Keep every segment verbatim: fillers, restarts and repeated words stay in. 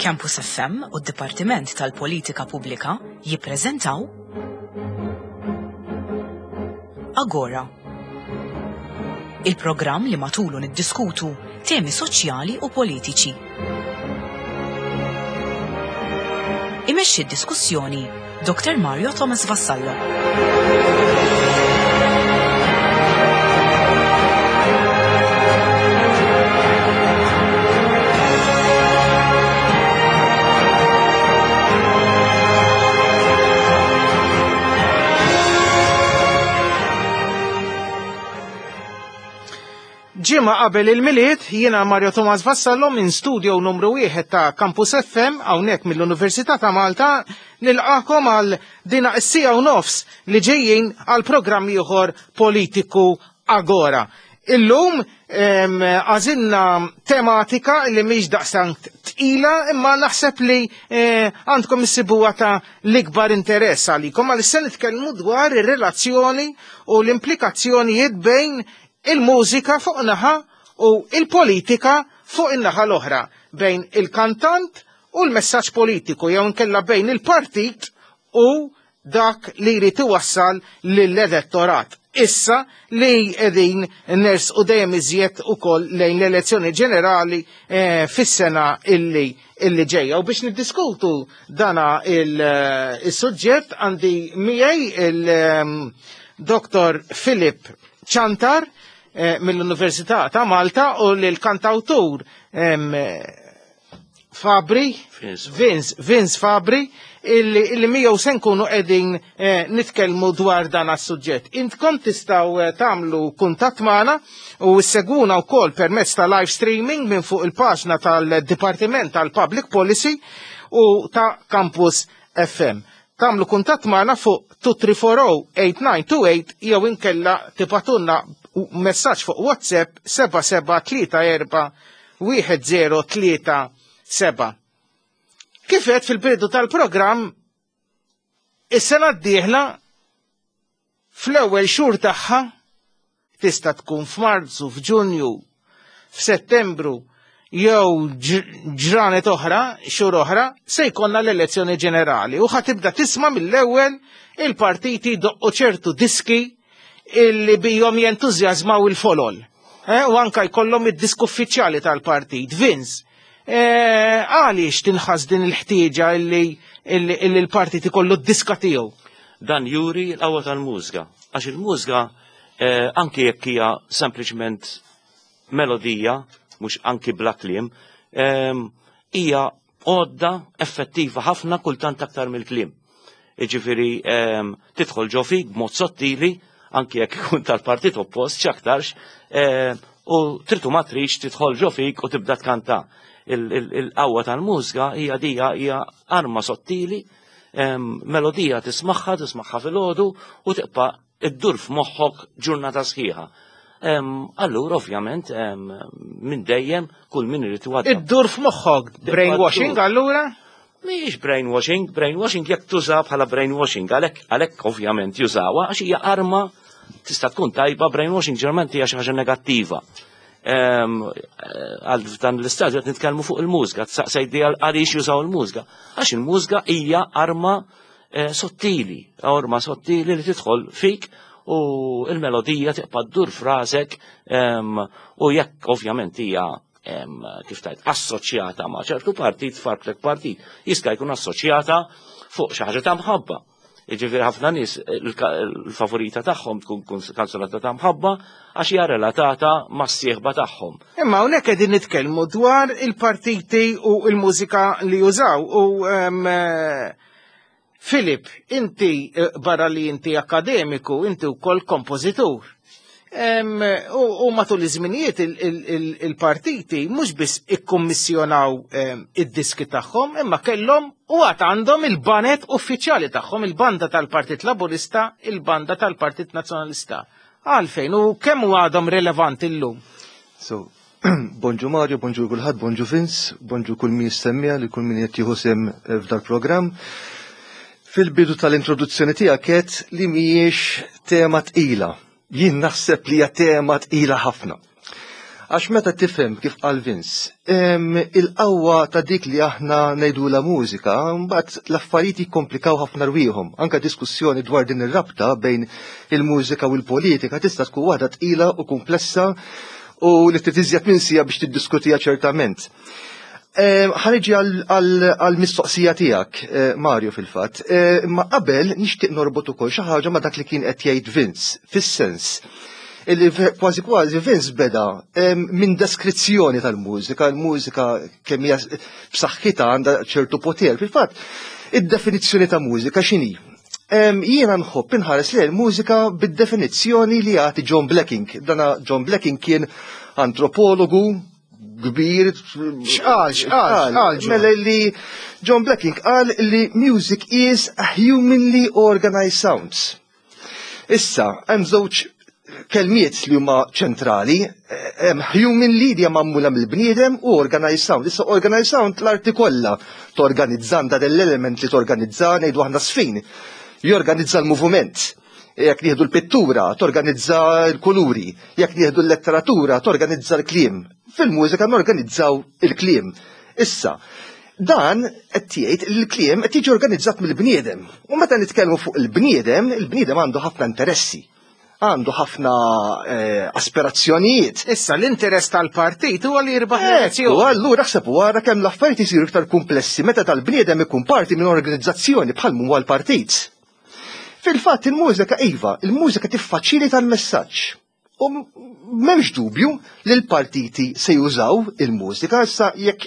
Campus F M u d-Dipartiment tal-Politika Pubblika jippreżentaw Agora. Il-programm li matulu niddiskutu temi soċjali u politiċi. Imexxi d-diskussjoni Doctor Mario Thomas Vassallo. Ġimgħa qabel il-Milied, jiena Mario Thomas Vassallo minn studio numru wieħed ta' Campus F M hawnhekk mill-Università ta' Malta nilqakom għal dina is-siegħa u nofs li ġejjin għal programm ieħor politiku, Agora. Illum għażilna tematika li mhix daqstant tqila, imma naħseb li eh, għandkom issibuha ta' l-ikbar interess għalikom, għal se nitkellmu dwar ir-relazzjoni u l-implikazzjonijiet bejn il-mużika fuq naħa u il-politika fuq in-naħa l-oħra, bejn il-kantant u l-messaġġ politiku jew inkella bejn il-partit u dak li jrid iwassal lill-elettorat. Issa li qegħdin nersqu dejjem iżjed ukoll lejn l-elezzjoni ġenerali eh, fis-sena illi illi ġejja. U biex niddiskutu dana il-suġġett għandi miegħi il-Dottor Philip Ciantar eh, mill-Università ta' Malta u l-kantawtur Fabri, Vince, Vince Fabri, illi, illi miegħu se nkunu qegħdin eh, nitkellmu dwar dan as-suġġett. Intkom tistgħu eh, tagħmlu kuntatt magħna u ssegwuna wkoll permezz ta' live streaming minn fuq il-paġna tal-Dipartiment tal-Public Policy u ta' Campus F M. Tagħmlu kuntatt magħna fuq tlieta tlieta erba' tmiem disa tnejn tnejn tlieta jew inkella tibagħtulna messaġġ fuq WhatsApp seba' seba' tlieta erba' wieħed żero tlieta seba'. Kif għedt fil-bidu tal-programm, is-sena d-dieħla fl-ewwel xhur tagħha, tista' tkun f'Marzu, f'Ġunju, f'Settembru jew ġranet oħra, xhur oħra, se jkollna l-elezzjoni ġenerali u ħa tibda tisma' mill-ewwel il-partiti doqqu ċertu diski illi bihom jentużjażmaw il-folol. Eh, u anka jkollhom id-disk uffiċjali tal-partit, Vince. Eh, għaliex tinħas din il-ħtieġa illi illi l-partit ikollu d-diska tiegħu? Dan juri l-qawwa tal-mużika. Għax il-mużika, eh, anki jekk hija sempliċement melodija, mhux anki bla kliem, hija għodda effettiva ħafna, kultant aktar mill-kliem. Iġifieri tidħol ġo fik b'mod sottili, anki jekk ikun tal-partit oppost, x'aktarx, u tritu ma trix tidħol ġo fik u tibda tkanta. Il-qawwa tal-mużika hija dija hija arma sottili, melodija tismagħha, tismagħha fil-għodu u tibqa' iddur f'moħħok ġurnata sħiħa. Allura, ovvjament, minn dejjem kull min irid iwadda. Iddur f'moħħok, brainwashing allura? Mhijiex brainwashing, brainwashing jekk tuża bħala brainwashing, għalhekk għalhekk ovvjament jużawha għax hija arma tista' tkun tajba, brainwashing ġeneralment hija xi ħaġa negattiva. Għal dan l-istadju qed nitkellmu fuq il-mużika, saqsejdi għaliex jużaw il-mużika. Għax il-mużika hija arma eh, sottili, arma sottili li tidħol fik u il-melodija tibqa' ddur f'rasek, u jekk ovvjament hija, kif tajt, assoċjata ma' ċertu partit, farklek partit, jista' jkun assoċjata fuq xi ħaġa ta' mħabba. Jiġifieri ħafna nies il-favorita tagħhom tkun kanzunata ta' mħabba għax hija relatata mas-sieħba tagħhom. Imma hawnhekk qegħdin nitkellmu dwar il-partiti u l-mużika li jużaw u eh, Filip, inti eh, barra li inti akademiku, inti wkoll kompożitur. U matul iż-żminijiet il-partiti mhux biss ikkummissjonaw id-diski tagħhom, imma kellhom u għad għandhom il-baned uffiċjali tagħhom, il-banda tal-Partit Laburista, il-banda tal-Partit Nazzjonalista. Għalfejn u kemm u għadhom rilevanti llum? So, bonġu Mario, bonġu kulħadd, bonġu Vince, bonġu kull min jistemmija li kull min qed jieħu sehem eh, f'dal programm. Fil-bidu tal-introduzzjoni tiegħek għedt li mhijiex tema tqila. Jien naħseb li hija tema tqila ħafna. Għax meta tifhem kif qal Vince, em, il-qawwa ta' dik li aħna ngħidu la mużika, mbagħad l-affarijiet jikkomplikaw ħafna rwieħhom. Anka diskussjoni dwar din ir-rabta bejn il-mużika u l-politika tista' tkun waħda tqila u komplessa u li trid minn siegħa biex tiddiskutiha ċertament. Ħa niġi għal-mistoqsija tiegħek, eh, Mario fil-fatt. Eh, Ma qabel nixtieq norbot ukoll xi ħaġa ma dak li kien qed jgħid Vince, fis-sens illi kważi kważi Vince beda minn deskrizzjoni tal-mużika, il-mużika kemm hija b'saħħitha għandha ċertu poter. Fil-fatt, id-definizzjoni ta' mużika x'inhi? Jiena nħobb inħares li l-mużika bid-definizzjoni li jagħti John Blacking. Dana John Blacking kien antropologu kbir. X'qal, x'qal, x'qal? Mela li John Blacking qal li music is a humanly organized sounds. Issa, hemm żewġ kelmiet li huma ċentrali, hemm humanly li hija magħmula mill-bniedem u organized sound. Issa organized sound l-arti kollha torganizzanda dell-element li torganizza ngħidu aħna sfin. Jorganizza l-moviment. Jekk nieħdu l-pittura, torganizza l-kuluri. Jekk nieħdu l-letteratura, torganizza l-kliem. Fil-mużika norganizzaw il-kliem. Issa, dan qed jgħid il-kliem qed jiġi organizzat mill-bniedem. U meta nitkellmu fuq il-bniedem, il-bniedem għandu ħafna interessi għandu ħafna eh, aspirazzjonijiet. Issa l-interess tal-partit huwa li jirbaħ U l-elezzjoni. allura ħseb wara kemm l-affarijiet isiru iktar komplessi meta tal-bniedem ikun parti minn organizzazzjoni bħal huwa l-partit. Fil-fatt il-mużika iva, il-mużika tiffaċilita l-messaġġ. U m'hemmx dubju li l-partiti se jużaw il-mużika issa jekk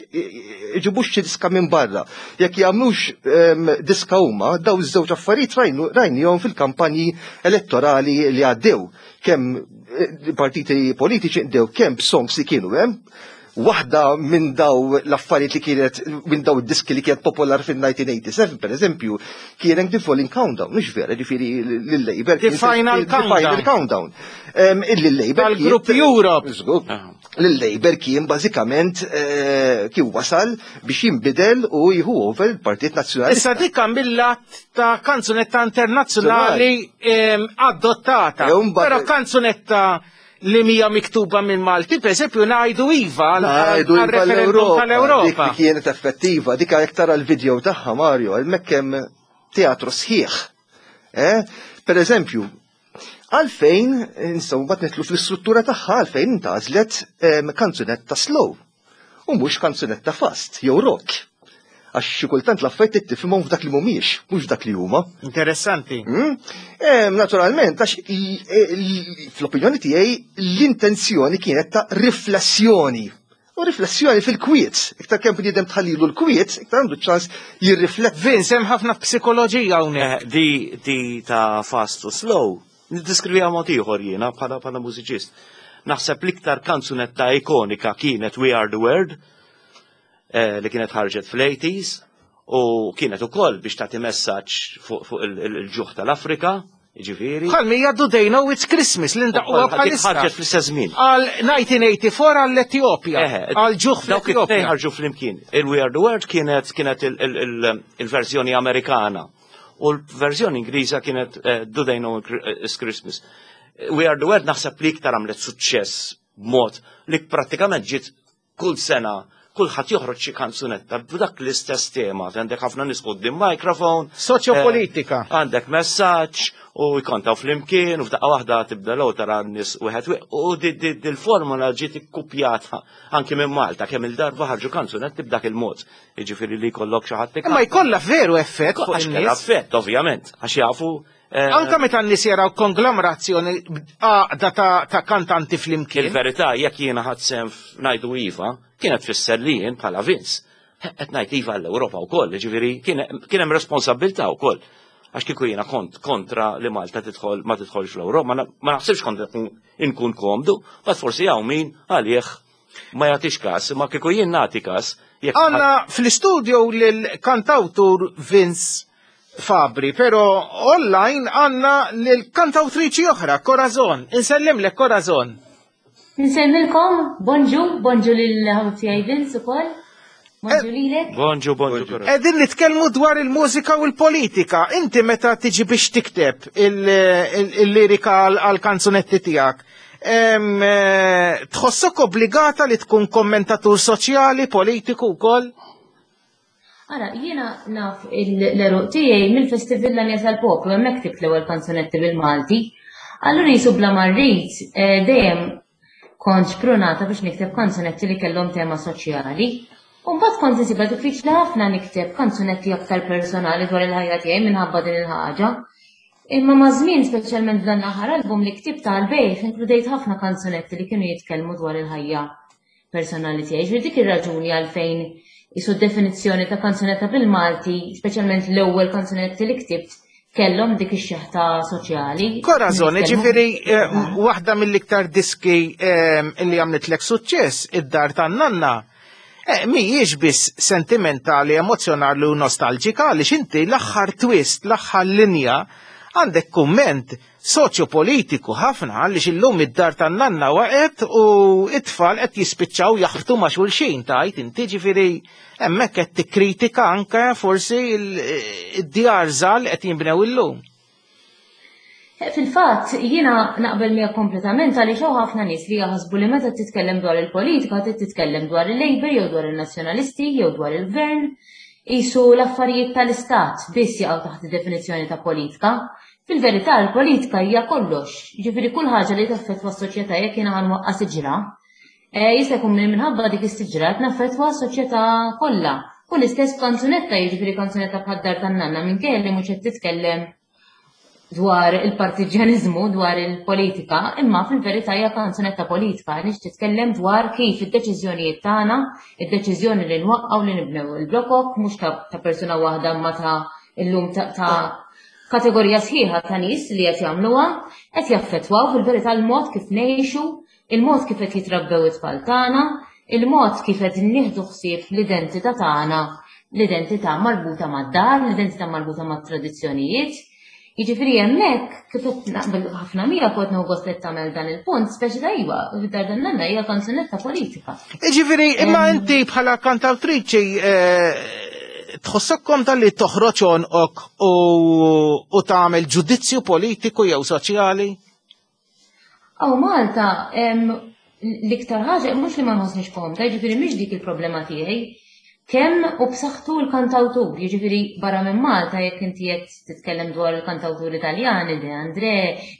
iġibux xi diska minn barra, jekk jagħmlux em, diska huma, daw iż-żewġ affarijiet rajnu rajnihom fil-kampanji elettorali li għaddew. Kemm eh, partiti politiċi qdew kemm b'songs li kienu hemm, waħda minn daw l-affarijiet li kienet minn daw id-diski li kienet popolar fil-elf disa' mija u tmienja u sebgħin, per eżempju, kien The Falling Countdown, mhux vera, ġifieri l-Labour. The Final The Final Countdown. Em, Illi l-Labour. Tal-Grupp kien- Europe. Żgur. L-Labour kien bażikament eh, kien wasal biex jinbidel u jieħu over il-Partit Nazzjonalista. Issa dik mill-lat ta' kanzunetta internazzjonali em, adottata. E un ba- Però kanzunetta li mija miktuba minn Malti, per esempio, ngħidu iva għal Ngħidu għal iva referendum l-Ewropa, Dik tal-Ewropa. li kienet effettiva, dik jekk tara l-video tagħha Mario, hemmhekk hemm teatru sħiħ. Eh? Per eżempju, għalfejn, insomma, bat nidħlu fl-istruttura tagħha għalfejn intgħażlet em, kanzunetta slow u mhux kanzunetta fast jew rock. Għax xi kultant l-affarijiet tifhimhom f'dak li mhumiex, mhux f'dak li huma. Interessanti. Mm? Em, naturalment, għax l- l- fl-opinjoni tiegħi l-intenzjoni kienet ta' riflessjoni. U riflessjoni fil-kwiet. Iktar kemm bniedem tħallilu l-kwiet, iktar għandu ċans jirrifletti. Vince, hemm ħafna psikoloġija hawnhekk. Eh, Di, di ta' fast u slow, niddeskriviha mod ieħor jiena bħala bħala mużiċist. Naħseb l-iktar kanzunetta ikonika kienet We Are the World, eh, li kienet ħarġet fl-eighties u kienet ukoll biex tagħti messaġġ fuq fuq il- il- il-ġuħ tal-Afrika, jiġifieri. Bħal mija Do They Know It's Christmas li ndaqquha Dik bħalissa. ħarġet fl-istess żmien. Għal elf disa' mija u erbgħa u tmenin għall-Etjopja, Eħe, għal ġuħ Dawk it-tnejn fl-Etjopja. ħarġu flimkien. Il-We Are the World kienet kienet il- il- il- il-verżjoni Amerikana u l-verżjoni Ingliża kienet eh, Do They Know It's Christmas. We Are the World naħseb li iktar għamlet suċċess b'mod li prattikament ġiet kull sena kulħadd joħroġ xi kanzunetta b'dak l-istess tema. Għandek ħafna nies quddiem microphone. Soċjopolitika. eh, Għandek messaġġ u jkontaw flimkien u f'daqqa waħda tibda l tara n-nies wieħed wi- u di- di- dil-formula ġiet ikkupjata anki minn Malta kemm il-darba ħarġu kanzunetti b'dak il-mod. Jiġifieri li jkollok xi ħadd Imma jkollha veru effett fuq Għax kellha in-nies. effett, ovvjament, għax jafu eh, Anka meta n-nies jaraw konglomerazzjoni għaqda ta' ta' kantanti flimkien. Il-verità, jekk jiena ħadt sehem ngħidu iva, kienet tfisser li jien bħala Vince. Qed ngħid iva l-Ewropa wkoll, ġifieri kien kien hemm responsabbiltà wkoll. Għax kieku jiena kont kontra li Malta tidħol ma tidħolx fl-Ewropa, ma na- ma naħsibx kont inkun komdu, but forsi hawn min għalih ma jagħtix każ, ma kieku jien nagħti każ. Jekk Għanna fl-studio l-kantautur Vince Fabri, pero online għanna l-kantautriċi oħra, Corazon. Insellimlek, Corazon. Insellmilkom, bonġu, bonġu lil ħabib tiegħi Vince ukoll. Bonġu lilek. Bonġu, bonġu. Corazon. Qegħdin nitkellmu dwar il-mużika u l-politika. Inti meta tiġi biex tikteb il-lirika għal-kanzunetti tiegħek, eh, tħossok obbligata li tkun kommentatur soċjali, politiku wkoll? Ara, jiena naf l-għeruq tiegħi mill-Festival L-Għanja tal-Poplu, hemmhekk ktibt l-ewwel kanzunetti bil-Malti. Allura jisu bla ma rrid, eh, dejjem kont xprunata biex nikteb kanzunetti li kellhom tema soċjali. U mbagħad kont insibha diffiċli ħafna nikteb kanzunetti aktar personali dwar il-ħajja tiegħi minħabba din il-ħaġa. Imma ma' żmien, speċjalment f'dan l-aħħar album li ktibt tal-bejħ, inkludejt ħafna kanzunetti li kienu jitkellmu dwar il-ħajja personali tiegħi. Ġifieri dik ir-raġuni għalfejn isu definizzjoni ta' kanzunetta bil-Malti, speċjalment l-ewwel kanzunetti li ktibt, kellhom dik ix-xeħta soċjali. Corazon, ġifieri eh, waħda mill-iktar diski eh, li għamlitlek suċċess, Id-Dar tan-Nanna, eh, mhijiex biss sentimentali, emozjonali u nostalġika, għaliex inti l-aħħar twist, l-aħħar linja, għandek kumment soċjopolitiku ħafna, għaliex illum id-dar tan-nanna waqgħet u it-tfal qed jispiċċaw jaħbtu ma' xulxin, tajt inti, ġifieri hemmhekk qed tikkritika anke forsi id-djar żgħar qed jinbnew illum. Fil-fatt, jiena naqbel miegħek kompletament, għaliex hawn ħafna nies li jaħsbu li meta titkellem dwar il-politika trid titkellem dwar il-Labour jew dwar il-Nazzjonalisti jew dwar il-Gvern, jisu l-affarijiet tal-istat biss jaqgħu taħt id-definizzjoni ta' politika. Fil-verità l-politika hija kollox, jiġifieri kull ħaġa li taffettwa s-soċjetà. Jekk jiena ħa nwaqqa' siġra, eh, jista' jkun li minħabba dik is-siġra qed naffettwa s-soċjetà kollha. U l-istess kanzunetta, jiġifieri kanzunetta bħad-Dar tan-Nanna, minkejja li mhux qed titkellem dwar il-partiġjanizmu, dwar il-politika, imma fil-verità hija kanzunetta politika, għaliex titkellem dwar kif id-deċiżjonijiet tagħna, id-deċiżjoni li nwaqqgħu, li nibnew il-blokok, mhux ta', ta persuna waħda, ma ta' illum ta', ta kategorija sħiħa ta' nies li qed jagħmluha, qed jaffettwaw fil-verità l-mod kif ngħixu, il-mod kif qed jitrabbew it-tfal tagħna, il-mod kif qed nieħdu ħsieb l-identità tagħna, l-identità marbuta mad-dar, l-identità marbuta mat-tradizzjonijiet. Jiġifieri hemmhekk kif qed naqbel ħafna miegħek, kont nieħu gost li tagħmel dan il-punt, speċi ta' iva, Dar tan-Nanna hija kanzunetta politika. Ġifieri, imma inti bħala kantawtriċi eh, tħossok komda li toħroġ għonqok u, u tagħmel ġudizzju politiku jew soċjali? Aw Malta, em, l-iktar ħaġa mhux li ma nħossniex komda, jiġifieri mhix dik il-problema tiegħi. Kemm u b'saħħtu l-kantawtur, jiġifieri barra minn Malta, jekk inti qed titkellem dwar il-kantawtur Italjani, De André,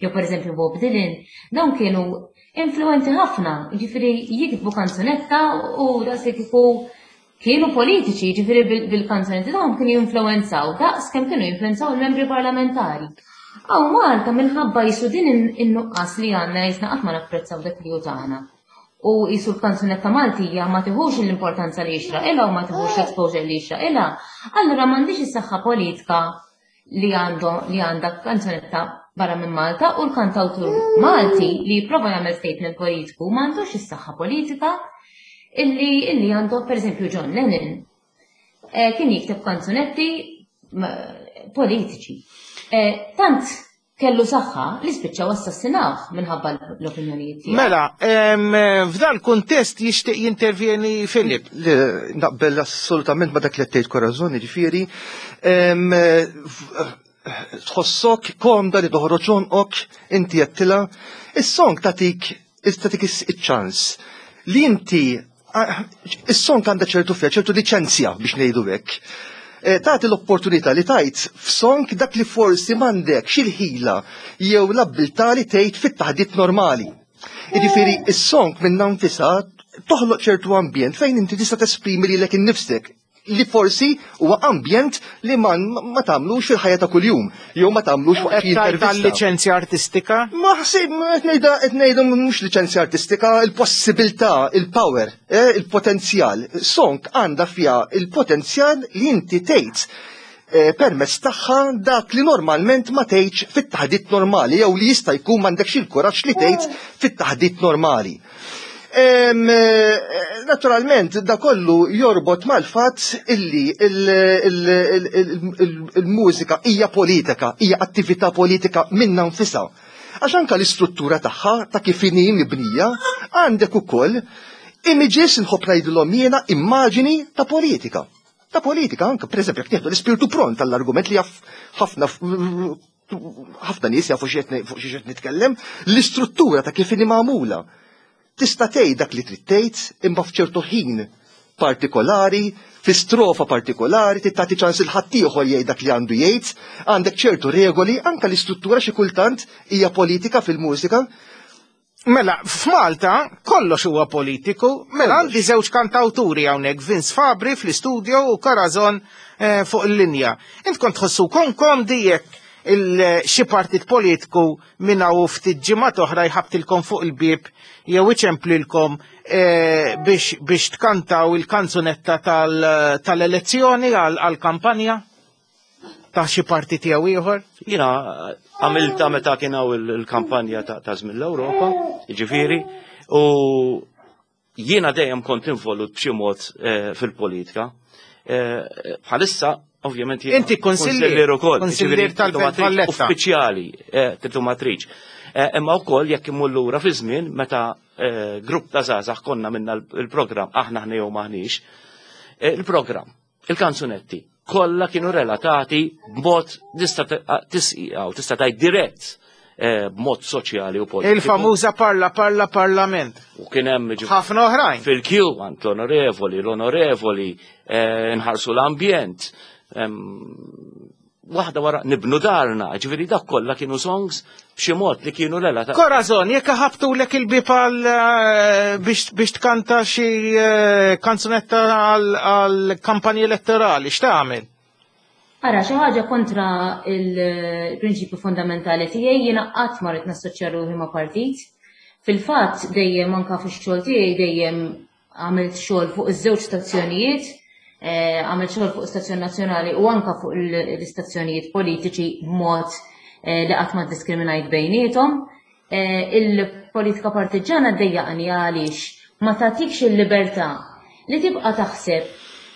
jew pereżempju Bob Dylan, dawn kienu influenti ħafna, jiġifieri jiktbu kanzunetta u daqshekk kieku kienu politiċi, jiġifieri bil- bil-kanzunetti tagħhom kienu jinfluwenzaw daqs kemm kienu jinfluwenzaw il-membri parlamentari. Aw Malta, minħabba jisu din in- in-nuqqas li għandna, jisna qatt ma napprezzaw dak li hu tagħna. U jisu l-kanzunetta Maltija ma tiħux l-importanza li jixraqilha u ma tiħux l-exposure li jixraqilha, allura m'għandix is-saħħa politika li għandu li għandha kanzunetta barra minn Malta, u l-kantawtur Malti li jipprova jagħmel statement politiku m'għandux is-saħħa politika illi illi għandu pereżempju John Lennon. Eh, kien jikteb kanzunetti ma- politiċi. Eh, tant kellu saħħa li spiċċaw assassinawh minħabba l-opinjonijiet tiegħu. Mela, em, f'dan kuntest jixtieq jintervjeni Filip. Le, naqbel assolutament ma dak li għedt, Corazon, ġifieri, em, f- tħossok komda li toħroġ għonqok, inti għedtilha, is-song tatik, tatik iċ-ċans li inti, ah, is-song għandha ċertu fija, ċertu liċenzja biex ngħidu hekk. Eh, Tagħti l-opportunità li tgħid f'song dak li forsi m'għandekx il-ħila jew l-abbiltà li tgħid fit-taħdit normali. Jiġifieri, is-song minn nfisha toħloq ċertu ambjent fejn inti tista' tesprimi lilek innifsek li forsi huwa ambjent li ma, ma tagħmlux fil-ħajja ta' kuljum jew ma tagħmlux waqt xi Qed tgħid intervista. tal-liċenzja artistika? Ma ħsib, qed ngħidha qed ngħidu mhux liċenzja artistika, il-possibilità, il-power, eh, il-potenzjal. Song għandha fiha il-potenzjal li inti tgħid eh, permezz tagħha dak li normalment ma tgħidx fit-taħdit normali jew li jista' jkun m'għandekx il-kuraġġ li tgħid fit-taħdit normali. Em, eh, Naturalment, da kollu jorbot mal-fatt illi il- il- il- il- il- il-mużika hija politika, hija attività politika minna nfisha. Għax anka l-istruttura tagħha ta' kif inhi mibnija, għandek ukoll Images nħobb ngħidilhom jiena immaġini ta' politika. Ta' politika anke, pereżempju, jekk nieħdu l-ispirtu pront tal-argument li jaf ħafna ħafna nies jafu fuq xi qed nitkellem, l-istruttura ta' kif inhi magħmula. Tista' tgħid dak li trid tgħid imma f'ċertu ħin partikolari, fi strofa partikolari, tagħti ċans lil ħaddieħor jgħid dak li għandu jgħid, għandek ċertu regoli, anke l-istruttura xi kultant hija politika fil-mużika. Mela, f'Malta kollox huwa politiku, mela għandi żewġ kantawturi hawnhekk, Vince Fabri fl-istudio u Corazon eh, fuq il-linja. Int kont tħossukom komdi jekk xi partit politiku minn hawn ftit ġimgħat oħra jħabtilkom fuq il-bieb jew iċemplilkom eh, biex, biex tkantaw il-kanzunetta tal-elezzjoni għal-kampanja ta' xi partit jew ieħor? Jiena għamilta meta kien hawn il-kampanja ta' żmien l-Ewropa, jiġifieri, u jiena dejjem kont involut b'xi mod eh, fil-politika. Eh, bħalissa ovvjament jiena Inti konsillier ukoll, konsillier tal-Belt Valletta. Uffiċjali, eh, tridu ma tridx. Imma wkoll jekk imur lura fi żmien meta grupp ta' żgħażagħ konna minna il-programm aħna aħna jew maħniex, il-programm, il-kanzunetti, kollha kienu relatati b'mod tista' tisqiegħu, tista' tgħid dirett b'mod soċjali u politiku. Il-famuża parla parla parlament. U kien hemm ħafna oħrajn. Fil-kju għand l-onorevoli, l-onorevoli, nħarsu l-ambjent. Waħda wara nibnu darna, ġifieri dak kollha kienu songs b'xi mod li kienu relatati. Corazon, jekk ħabtulek il-bieb għal biex biex tkanta xi kanzunetta għal kampanji elettorali, x'tagħmel? Ara, xi ħaġa kontra il-prinċipju fondamentali tiegħi, jiena qatt ma rrid nassoċja ruħi ma' partit. Fil-fatt dejjem anke fix-xogħol tiegħi dejjem għamilt xogħol fuq iż-żewġ stazzjonijiet, għamilt xogħol fuq stazzjon nazzjonali u anke fuq l-istazzjonijiet politiċi b'mod li qatt ma ddiskriminajt bejniethom. Il-politika partiġġana ddejjaqni għaliex ma tagħtikx il-libertà li tibqa' taħseb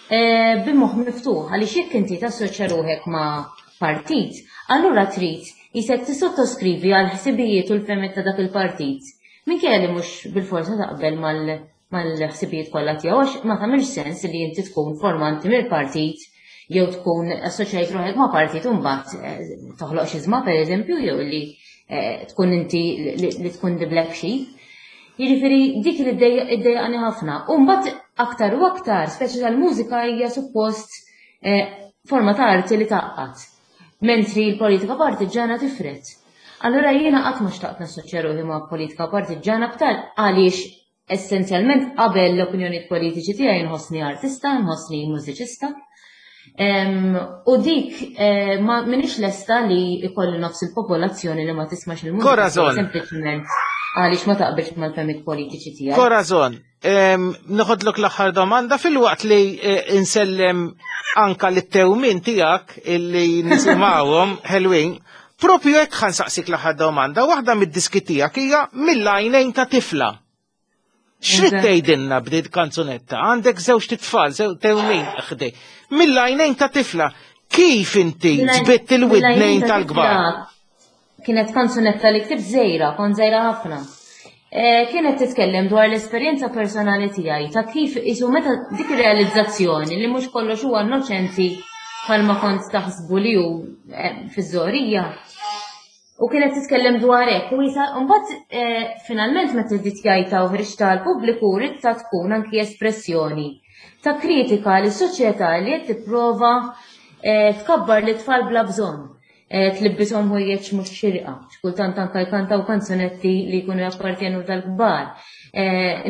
b'moħħ miftuħ, għaliex jekk inti tassoċja ruħek ma' partit, allura trid jisek tissottoskrivi għal ħsibijiet u l-fehmiet ta' dak il-partit. Minkejja li mhux bil-forsa taqbel mal-ħsibijiet kollha tiegħu, għax ma tagħmilx sens li inti tkun formanti mill-partit jew tkun assoċjajt ruħek ma' partit u mbagħad toħloq xi żma pereżempju, jew li tkun inti li tkun the black sheep. Jiġifieri dik li ddejjaqni ħafna. U mbagħad aktar u aktar, speċi tal-mużika hija suppost forma ta' arti li taqqat, mentri l-politika partiġġana tifret. Allura jiena qatt ma xtaqt nassoċja ruħi ma' politika partiġġana btal għaliex essenzjalment qabel l-opinjonijiet politiċi tiegħi nħossni artista, nħossni mużiċista. U dik ma minix lesta li ikolli nofs il-popolazzjoni li ma tismax il-mużika. Corazon. Sempliċement għaliex ma taqbilx mal-fehmiet politiċi tiegħi. Corazon, noħodlok l-aħħar domanda fil-waqt li insellem anka lit-tewmin tiegħek illi nisimgħuhom ħelwin. Propju hekk ħansaqsik l-aħħar domanda, waħda mid-diski tiegħek hija mill-għajnejn ta' tifla. X'rid tgħidilna b'din kanzunetta? Għandek żewġ titfal, żewġ tewmin ħdej. Mill-għajnejn ta' tifla, kif inti ġbitt il-widnejn tal-kbar? Kienet kanzunetta li ktibt żgħira, kont żgħira ħafna. Kienet titkellem dwar l-esperjenza personali tiegħi ta' kif isu meta dik ir-realizzazzjoni li mhux kollox huwa innoċenti bħalma kont taħsbu li hu fiż-żorija. U kienet titkellem dwar hekk u jisa mbagħad finalment meta dditjajta u ħriġta għall-pubbliku ridta tkun anki espressjoni ta' kritika lis soċjetà li qed tipprova tkabbar lit-tfal bla bżonn. Tlibbishom ħwejjeġ mhux xirqa, x'kultant anke jkantaw kanzunetti li jkunu jappartjenu tal-kbar.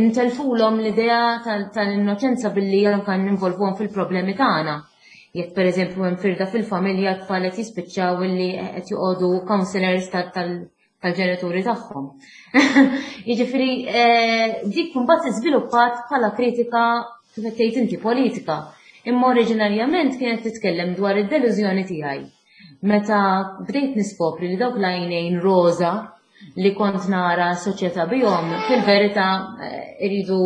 Intelfulhom l-idea tal-innoċenza billi anke ninvolvuhom fil-problemi tagħna. Jekk pereżempju hemm firda fil-familja t-tfal qed jispiċċaw illi qed joqogħdu counselors tal-ġenituri tagħhom. Jiġifieri dik mbagħad iżviluppat bħala kritika kif qed tgħid inti politika. Imma oriġinarjament kienet titkellem dwar id-delużjoni tiegħi. Meta bdejt niskopri li dawk l-għajnejn roża li kont nara soċjetà bihom, fil-verità iridu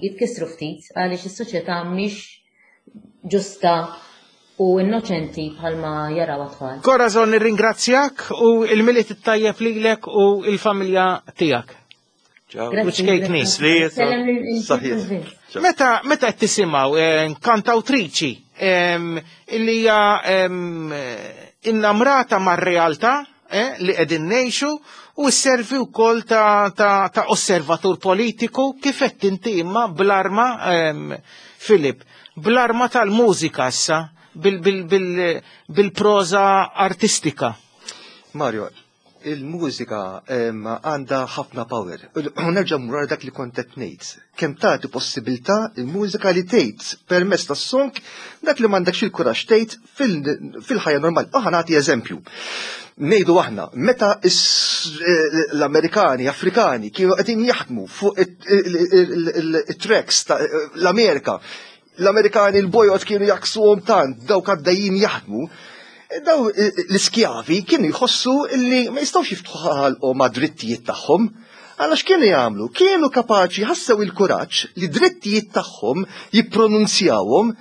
jitkissru ftit għaliex is-soċjetà mhix ġusta u innoċenti bħalma jaraw tfal. Corazon, nirringrazzjak u il-Milied it-tajjeb lilek u il-familja tiegħek. Ciao. Grazzi. Sliet. Saħħiet. Meta meta qed tisimgħu eh, kantawtriċi em, illi hija em, innamrata mar-realtà eh, li qegħdin ngħixu u sservi wkoll ta', ta, ta' osservatur politiku kif qed inti imma bl-arma em, Filip, bl-arma tal-mużika issa bil- bil- bil- bil-proża artistika. Mario, il-mużika em, għandha ħafna power. U nerġa' mmur għal dak li kont qed ngħid. Kemm tagħti possibilità il-mużika li tgħid permezz tas-song dak li m'għandekx il-kuraġġ tgħid fil- fil-ħajja normali. Aħna nagħti eżempju. Ngħidu aħna, meta is- eh, l-Amerikani, Afrikani kienu qegħdin jaħdmu fuq it-tracks ta' l-Amerika, l-Amerikani l-bojod kienu jaksuhom tant, dawk għaddejjin jaħdmu, daw eh, l-iskjavi kienu jħossu illi ma jistgħux jiftħu ħalqhom ma' drittijiet tagħhom. Għalax kienu jagħmlu? Kienu kapaċi ħassew il-kuraġġ li drittijiet tagħhom jippronunzjawhom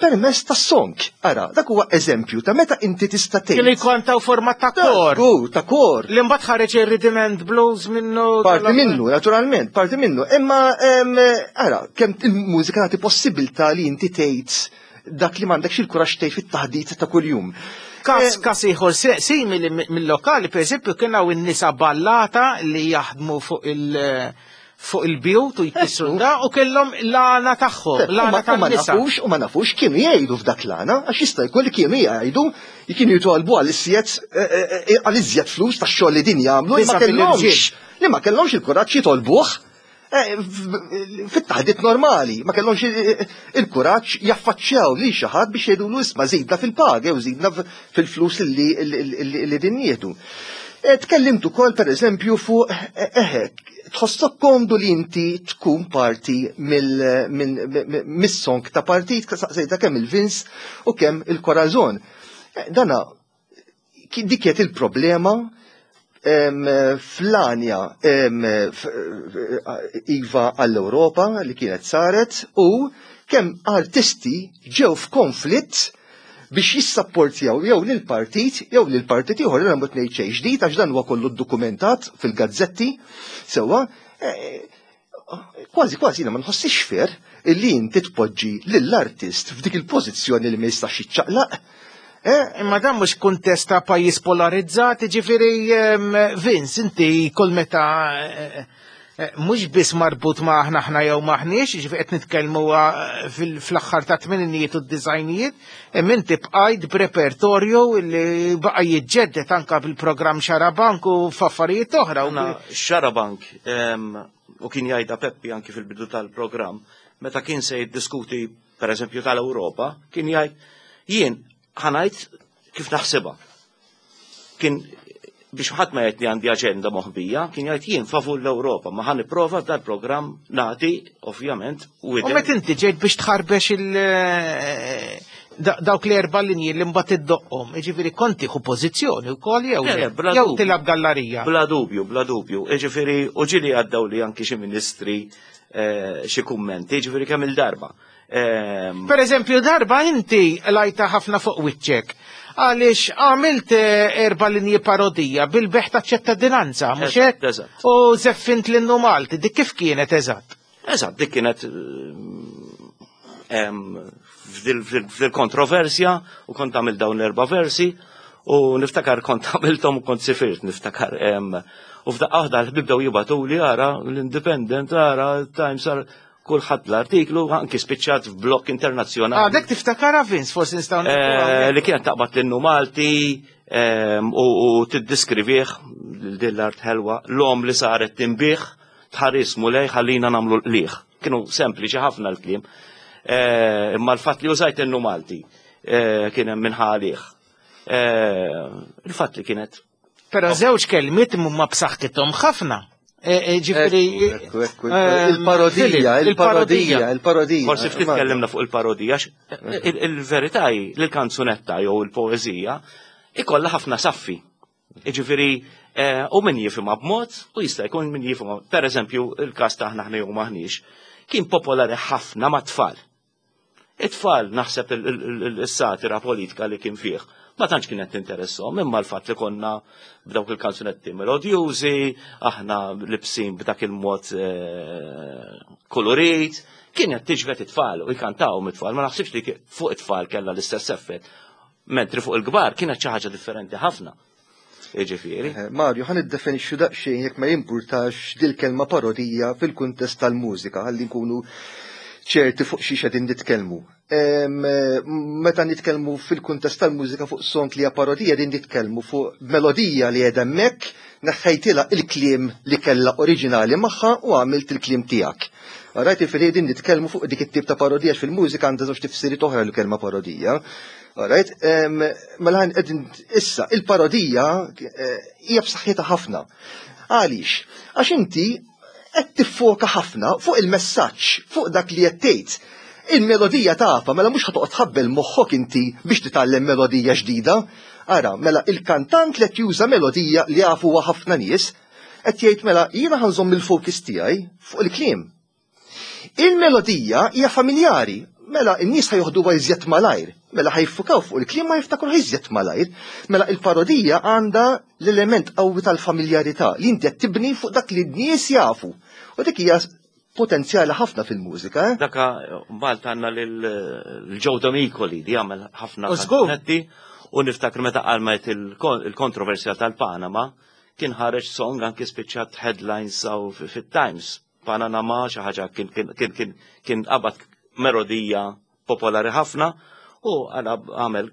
permezz tas-song. Ara, dak huwa eżempju ta' meta inti tista' tgħid. Kienu jkontaw forma ta' kor. Żgur, ta' kor. Li mbagħad ħareġ ir-rhythm and blues minnu. Parti minnu, naturalment, parti minnu. Imma, em, ara, kemm il-mużika tagħti possibilità li inti tgħid dak li m'għandekx il-kuraġġ tgħid fit-taħdit ta' kuljum. Kas, kas ieħor se- simili mi- mill-lokali, per eżempju, kien hawn in-nisa ballata li jaħdmu fuq il- fuq il-bjut u jkissru da u kellhom l-għana tagħhom, U l-għana ma u ma tan-nisa. nafux, u ma nafux kienu jgħidu f'dak l-għana, għax jista' jkun li kienu jgħidu, kienu jitolbu għal iżjed għal iżjed flus tax-xogħol li din jagħmlu, li ma Biża' kellhomx mill-irġiel. li ma kellhomx il-kuraġġ jitolbuh eh, f- fit-taħdit normali, ma kellhomx il- il-kuraġġ jaffaċċjaw li xi ħadd biex jgħidulu isma' żidna fil-paga jew żidna f- fil-flus li li- li din jieħdu. Eh, Tkellimt ukoll pereżempju fuq eh, eħe, tħossok komdu li inti tkun parti mill- minn- minn- mis-song ta' partit, saqsejta kemm il-Vince u kemm il-Corazon. Eh, Dana, ki- dik kienet il-problema em, fl-għanja em, f- Iva għall-Europa li kienet saret u kemm artisti ġew f'konflitt biex jissapportjaw jew lil partit jew lil partit ieħor jiena mhux ngħid xejn ġdid għax dan huwa kollu ddokumentat fil-gazzetti sewwa eh, kważi kważi jiena ma nħossix fair illi inti tpoġġi lill-artist f'dik il-pożizzjoni li ma jistax jiċċaqlaq. Eh, Imma dan mhux kuntest ta' pajjiż polarizzat, ġifieri em, Vince, inti kull meta eh, eh, mhux biss marbut ma' aħna aħna jew maħniex, ġifieri qed nitkellmu eh, fil- fl-aħħar ta' tmeninijiet u d-disgħinijiet, imma inti bqajt b'repertorju li baqa' jiġġedded anka bil-programm Xarabank u f'affarijiet oħra. U Aħna Xarabank, em, u kien jgħidha Peppi anki fil-bidu tal-programm, meta kien se jiddiskuti per eżempju tal-Ewropa, kien jgħid jien ħa ngħid kif naħsibha. Kien biex ħadd ma jgħid li għandi aġenda moħbija, kien jgħid jien favur l-Ewropa, ma ħa nipprova dal-programm nagħti ovvjament u U met inti ġejt biex tħarbex il da- dawk l erba linji li mbagħad iddoqqhom, jiġifieri konti hu pożizzjoni wkoll jew Le, le, le, bla jew dubju. tilab gallarija. Bla dubju, bla dubju. Ġifieri, u ġieli għaddew li anki xi ministri eh, xi kummenti, ġifieri kemm il-darba. Ehm, Per eżempju, darba inti lajta ħafna fuq wiċċek. Għaliex għamilt eh, erba linji parodija bil-bejgħ ta' ċittadinanza, mhux Eżatt, hekk? eżatt. U zeffint l-innu Malti, dik kif kienet eżatt? Eżatt, dik kienet em, f'dil- f'dil f'dil-kontroversja u kont għamil dawn l-erba versi u niftakar kont għamilthom u kont sifirt niftakar em, u f'daqqa waħda l-ħbib bdew jibagħtuli ara l-Independent ara Times ara kulħadd l-artiklu anki spiċċat f'blog internazzjonali. Ah, dik tiftakara Vince, forsi nistgħu Eh, li kienet taqbad l-innu Malti em, u u tiddiskrivih din l-art ħelwa l-om li saret tinbiegħ tħares Mulej ħallina nagħmlu l-qliħ. Kienu sempliċi ħafna l-kliem. Eh, Imma l-fatt li użajt innu Malti eh, kien hemm minħalih. Il-fatt li kienet Però żewġ kelmiet huma b'saħħithom ħafna. Eh, eh, Ġifieri Ekku, ekku, eh, il-parodija, Filip, il-parodija, il-parodija. Forsi ftit tkellimna fuq il-parodija, għax il- il-verità hi li l-kanzunetta jew il-poeżija ikollha ħafna saffi. Jiġifieri eh, u min jifhimha b'mod u jista' jkun min jifhimha. Per eżempju, il-każ ta' aħna aħna jew maħniex, kien popolari ħafna mat-tfal. It-tfal naħseb il-satira politika li kien fih. Ma tantx kienet tinteressom, imma l-fatt li konna b'dawk il-kanzunetti melodjużi, aħna libsin b'dak il-mod eh, kolorit, kienet tiġbed it-tfal u jkantaw mit-tfal, ma naħsibx li fuq it-tfal kellha l-istess effett. Mentri fuq il-kbar kienet xi ħaġa differenti ħafna. Jiġifieri. Eh, Mario, ħa niddefinixxu daqsxejn, jekk ma jimpurtax, dil-kelma parodija fil-kuntest tal-mużika, ħalli nkunu ċerti fuq xi qegħdin nitkellmu. Em, eh, Meta nitkellmu fil-kuntest tal-mużika fuq song li hija parodija, din nitkellmu fuq melodija li qiegħda hemmhekk, neħħejtilha il-kliem li kellha oriġinali magħha u għamilt il-kliem tiegħek. Rajt, jiġifieri din nitkellmu fuq dik it-tip ta' parodija. Fil-mużika għandha żewġ tifsiriet oħra l-kelma parodija. Alright, em, mela ħan qegħdin issa il-parodija eh, hija b'saħħitha ħafna. Għaliex? Għax inti qed tiffoka ħafna fuq il-messaġġ, fuq dak li qed tgħid. Il-melodija tafa, mela mhux ħa toqgħod tħabbel moħħok inti biex titgħallem melodija ġdida. Ara, mela il-kantant li qed juża melodija li jafuha ħafna nies, qed jgħid: mela jiena ħa nżomm il-focus tiegħi fuq il-kliem. Il-melodija hija familjari, mela n-nies ħa joħduha iżjed malajr, mela ħa jiffukaw fuq il-kliem, ma jiftakru iżjed malajr. Mela il-parodija għandha l-element qawwi tal-familjarità li inti qed tibni fuq dak li n-nies jafu. U dik hija potenzjali ħafna fil-mużika. Eh? Daka Malta għandna lil Joe Demicoli li għamel ħafna U żgur. kanzunetti u niftakar meta qalmet il-kontroversja tal-Panama kien ħareġ song, anki spiċċat headlines aw fit-Times. Panama xi ħaġa, kien kien kien kien kien qabad melodija popolari ħafna u għala għamel,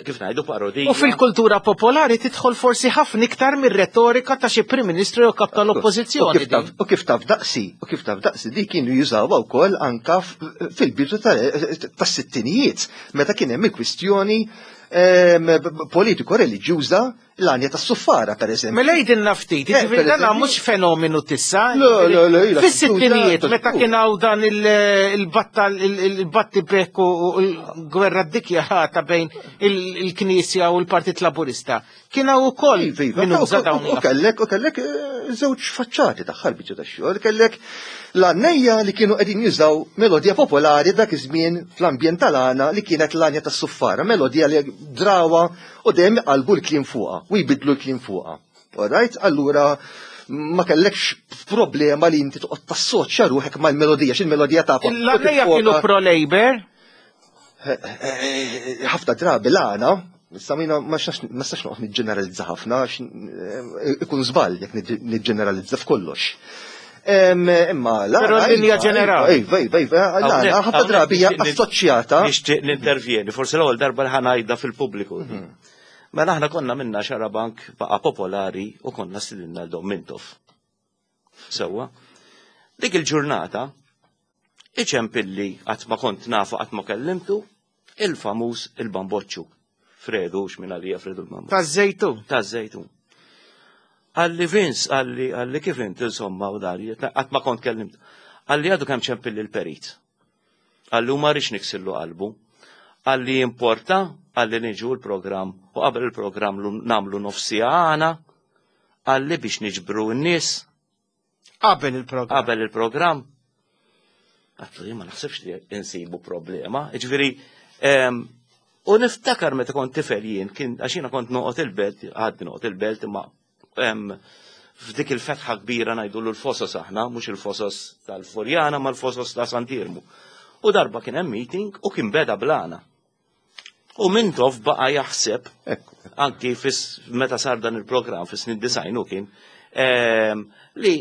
kif ngħidu, parodija. U fil-kultura popolari tidħol forsi ħafna iktar mir-retorika ta' xi Prim Ministru jew kap U tal-Oppożizzjoni. kif taf- U kif taf daqsi, u kif taf daqsi, di kienu jużawha wkoll anka f- fil-bidu tas-sittinijiet, meta kien hemm il-kwistjoni em, politiko reliġjuża, l-għanja tas-suffara, per eżempju. Mela jgħidilna ftit, Eh, jiġifieri per dan eżempju- mhux fenomenu t'issa. Le, le, le, ila Fis-sittinijiet tintuża, meta kien hawn dan il-battal il-batti bekk u l-gwerra ddikjarata bejn il-Knisja u l-Partit Laburista. Kien hawn ukoll Iva, iva, min uża u- dawn U kellek, u kellek eh, żewġ faċċati tagħha l-biċċa tax-xogħol, kellek l-għannejja li kienu qegħdin jużaw melodija popolari dak iż-żmien fl-ambjent tal-għana li kienet l-għanja tas-suffara, melodija li drawa u dejjem qalbu l-kliem fuqha u jbidlu l-kliem fuqha. Alright, allura ma kellekx problema li inti toqgħod tassoċja ruħek mal-melodija, x'il-melodija tafha. L-għannejja kienu pro-Labor, Ħafna drabi l-għana, issa mina ma nistax noqgħod niġġeneralizza ħafna, għax eh, ikun żball jekk niġġeneralizza f'kollox. Em, Imma l-għana. Però l-linja iva, ġenerali. Iva, iva, iva, l-għana ħafna drabi hija assoċjata. Nixtieq nintervjeni, forsi l-ewwel darba li ħa ngħidha fil-pubbliku. Mela aħna konna minna Xarabank baqa' popolari u konna stidinna l-Dom Mintoff. Sewwa. Dik il-ġurnata iċempilli, qatt ma kont nafu, qatt ma kellimtu, il-famuż il-Bamboċċu. Fredu, x'min għalija Fredu l-Bamboċċu. Taż-Żejtun. Ta' Żejtun. Qalli: "Vince," qalli, qalli "kif int, insomma", u dari, qatt ma kont kellimt. Qalli: "Għadu kemm ċempilli l-perit. Qalli u ma rridx niksillu qalbu. Qalli importa, qalli niġu l-programm u qabel il-programm lu- nagħmlu nofs siegħa għana, qalli biex niġbru n-nies Qabel il-programm. Qabel il-programm." Għedtlu jien ma naħsibx li insibu problema. Ġifieri, em, u niftakar meta kont tifel jien, kien għax jiena kont noqgħod il-Belt, għadni noqgħod il-Belt, imma em, f'dik il-fetħa kbira ngħidu l-Fosos aħna, mhux il-Fosos tal-Furjana, ma l-Fosos ta' Sant'Iermu. U darba kien hemm meeting u kien beda bl-għana. U Mintoff baqa' jaħseb Ekku. anki fis meta sar dan il-programm fis snin disgħin u kien em, li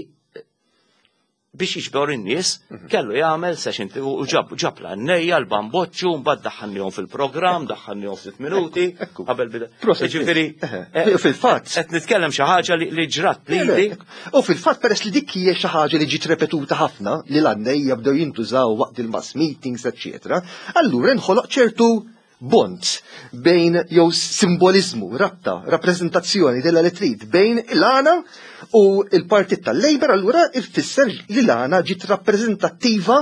biex jiġbor in-nies kellu jagħmel session u ġab ġab l-għannejja l-Bamboċċu, mbagħad daħħalnihom fil-programm, daħħalnihom ftit minuti Ekku. qabel bida. Proset. Ġifieri Eħe. eh, Fil-fatt. qed nitkellem xi ħaġa li li ġrat lili. U fil-fatt, peress li dik hija xi ħaġa li ġiet repetuta ħafna, li l-għannejja bdew jintużaw waqt il-mass meetings, eċċetera, allura inħoloq ċertu bond bejn, jew simbolizmu, rabta, rappreżentazzjoni della li trid bejn il-għana u il-partit tal-Labor, allura ifisser li l-għana ġiet rappreżentattiva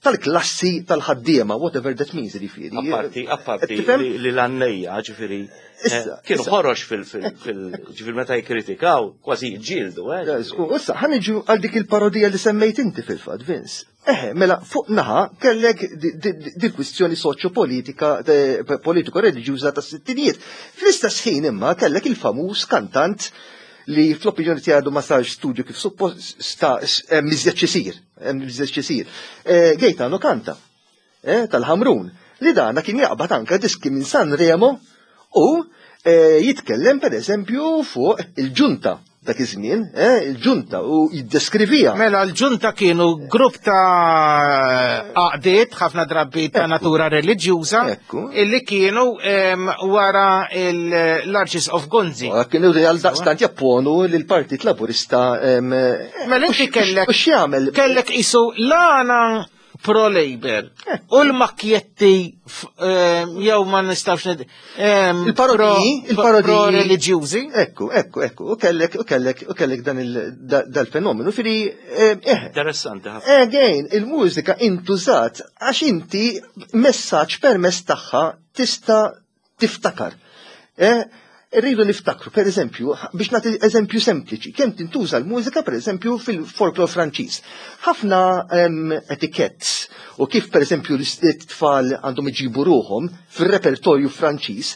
tal-klassi tal-ħaddiema, whatever that means, ġifieri. Apparti, apparti Tifhem? li li l-għannejja, ġifieri, eh, Issa, kienu issa. ħorox fil- fil- fil- ġifieri meta jikkritikaw, kważi jġildu, eh. Issa, ħa niġu għal dik il-parodija li semmejt inti fil-fatt, Vince. Eħe, mela fuq naħa kellek di kwistjoni soċjo-politika, politiko-reliġjuża tas-sittinijiet. Fl-istess ħin imma kellek il-famuż kantant li fl-opinjoni tiegħu ma sarx studju kif suppost hemm iżjed xisir, hemm iżjed xisir. Gaetano Kanta, tal-Ħamrun, li dana kien jaqbad anka diski minn Sanremo u jitkellem per eżempju fuq il-ġunta dak iż-żmien, il-ġunta u jiddeskrivija. Mela l-ġunta kienu grupp ta' għaqdiet ħafna drabi ta' natura reliġjuża illi kienu wara l-Arċisqof Gonzi. Kienu għal daqstant japponu lill-Partit Laburista. Mela inti kellek kellek isu l-għana pro-Labor u l-makjetti jew ma nistawx il-parodiji, il-parodiji pro-reliġjużi. Ekku, ekku, ekku, u kellek, u kellek, u kellek dan dal-fenomenu. Firi, eh. Interessanti ħafna. Again, il-mużika intużat għax inti messaġġ permezz tagħha tista' tiftakar. Rridu niftakru, per eżempju, biex nagħti eżempju sempliċi, kemm tintuża l-mużika per eżempju fil-folklor Franċiż. Ħafna etikett u kif per eżempju l-tfal għandhom iġibu ruhom fil-repertorju Franċiż,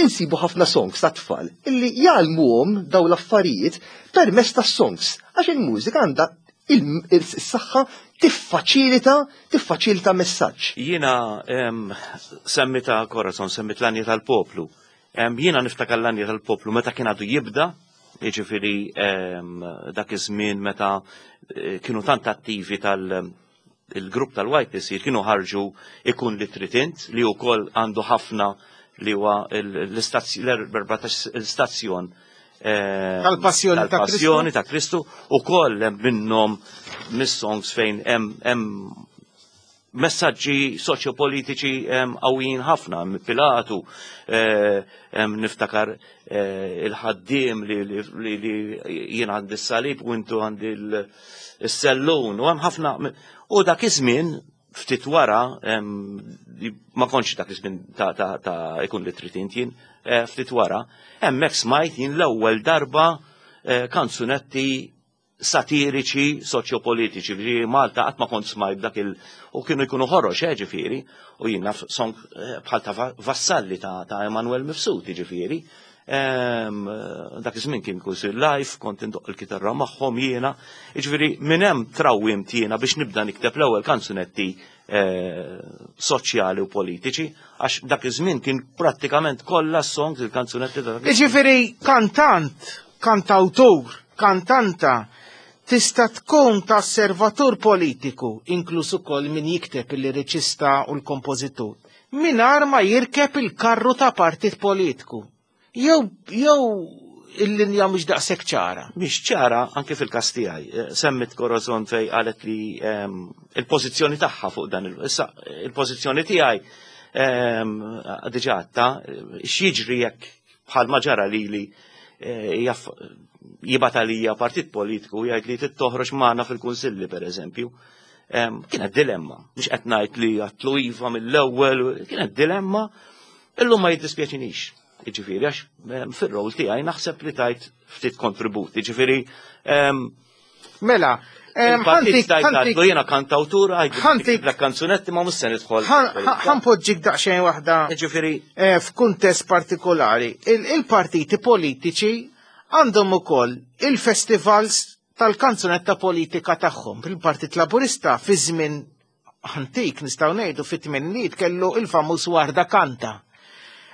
insibu ħafna songs ta' tfal illi jgħallmuhom daw l-affarijiet permezz ta' songs, għax il-mużika għandha il-saħħa tiffaċilita, tiffaċilita messaġġ. Jiena semmita Corazon, semmit l-Anja tal-Poplu. Jiena niftakar l-Anja tal-Poplu meta kien għadu jibda, jiġifieri dak iż-żmien meta kienu tant attivi tal-grupp tal-Y P C kienu ħarġu Ikun li trid int, li wkoll għandu ħafna li huwa l-istazzjon tal-Passjoni ta' Kristu. Tal-Passjoni ta' Kristu, ukoll hemm minnhom mis-songs fejn hemm messaġġi soċjopolitiċi qawwijin ħafna, Pilatu, niftakar il-ħaddiem li jien għandi s-salib u intu għandi s-sellun, u hemm ħafna. U dak iż-żmien ftit wara, ma kontx dak iż-żmien ta' Ikun li trid int jien, ftit wara, hemmhekk smajt jien l-ewwel darba kanzunetti satiriċi soċjopolitiċi, ġifieri Malta qatt ma kont smajt dak il-, u kienu jkunu ħorox, eh, ġifieri, u jien naf song bħal ta' Vassalli ta' Emanuel Mifsud, ġifieri. Dak iż-żmien kien kull live, kont indoq il-kitarra magħhom jiena, ġifieri minn hemm trawwimt jiena biex nibda nikteb l-ewwel kanzunetti soċjali u politiċi, għax dak iż-żmien kien prattikament kollha songs il-kanzunetti ta' dak iż-żmien. Ġifieri kantant, kantawtur, kantanta, tista' tkun ta' osservatur politiku, inkluż ukoll min jikteb il-liriċista u l-kompożitur, mingħajr ma jirkeb il-karru ta' partit politiku. Jew, jew il-linja mhux daqshekk ċara. Mhix ċara anke fil-każ tiegħi. Semmit Corazon fej qalet li il-pożizzjoni tagħha fuq dan il-, issa il-pożizzjoni tiegħi diġà għadta, x'jiġri jekk bħal ma ġara lili jibgħat għalija partit politiku jgħid li trid toħroġ magħna fil-kunsilli pereżempju. Kienet dilemma, mhux qed ngħid li għatlu iva mill-ewwel, kienet dilemma, illum ma jiddispjaċinix. Jiġifieri għax fir-rol tiegħi naħseb li tajt ftit kontribut. Jiġifieri, Mela, il-partit ħantik, tajt ħantik għadlu jiena kantawtur, għajdu ħantik la kanzunetti ma mhux se nidħol. Ħanpoġġik daqsxejn waħda, Jiġifieri, eh, f'kuntest partikolari. Il-partiti politiċi għandhom ukoll il-festivals tal-kanzunetta politika tagħhom. Il-Partit Laburista fi żmien antik nistgħu ngħidu fit-tmenniet kellu il-famuż Warda Kanta.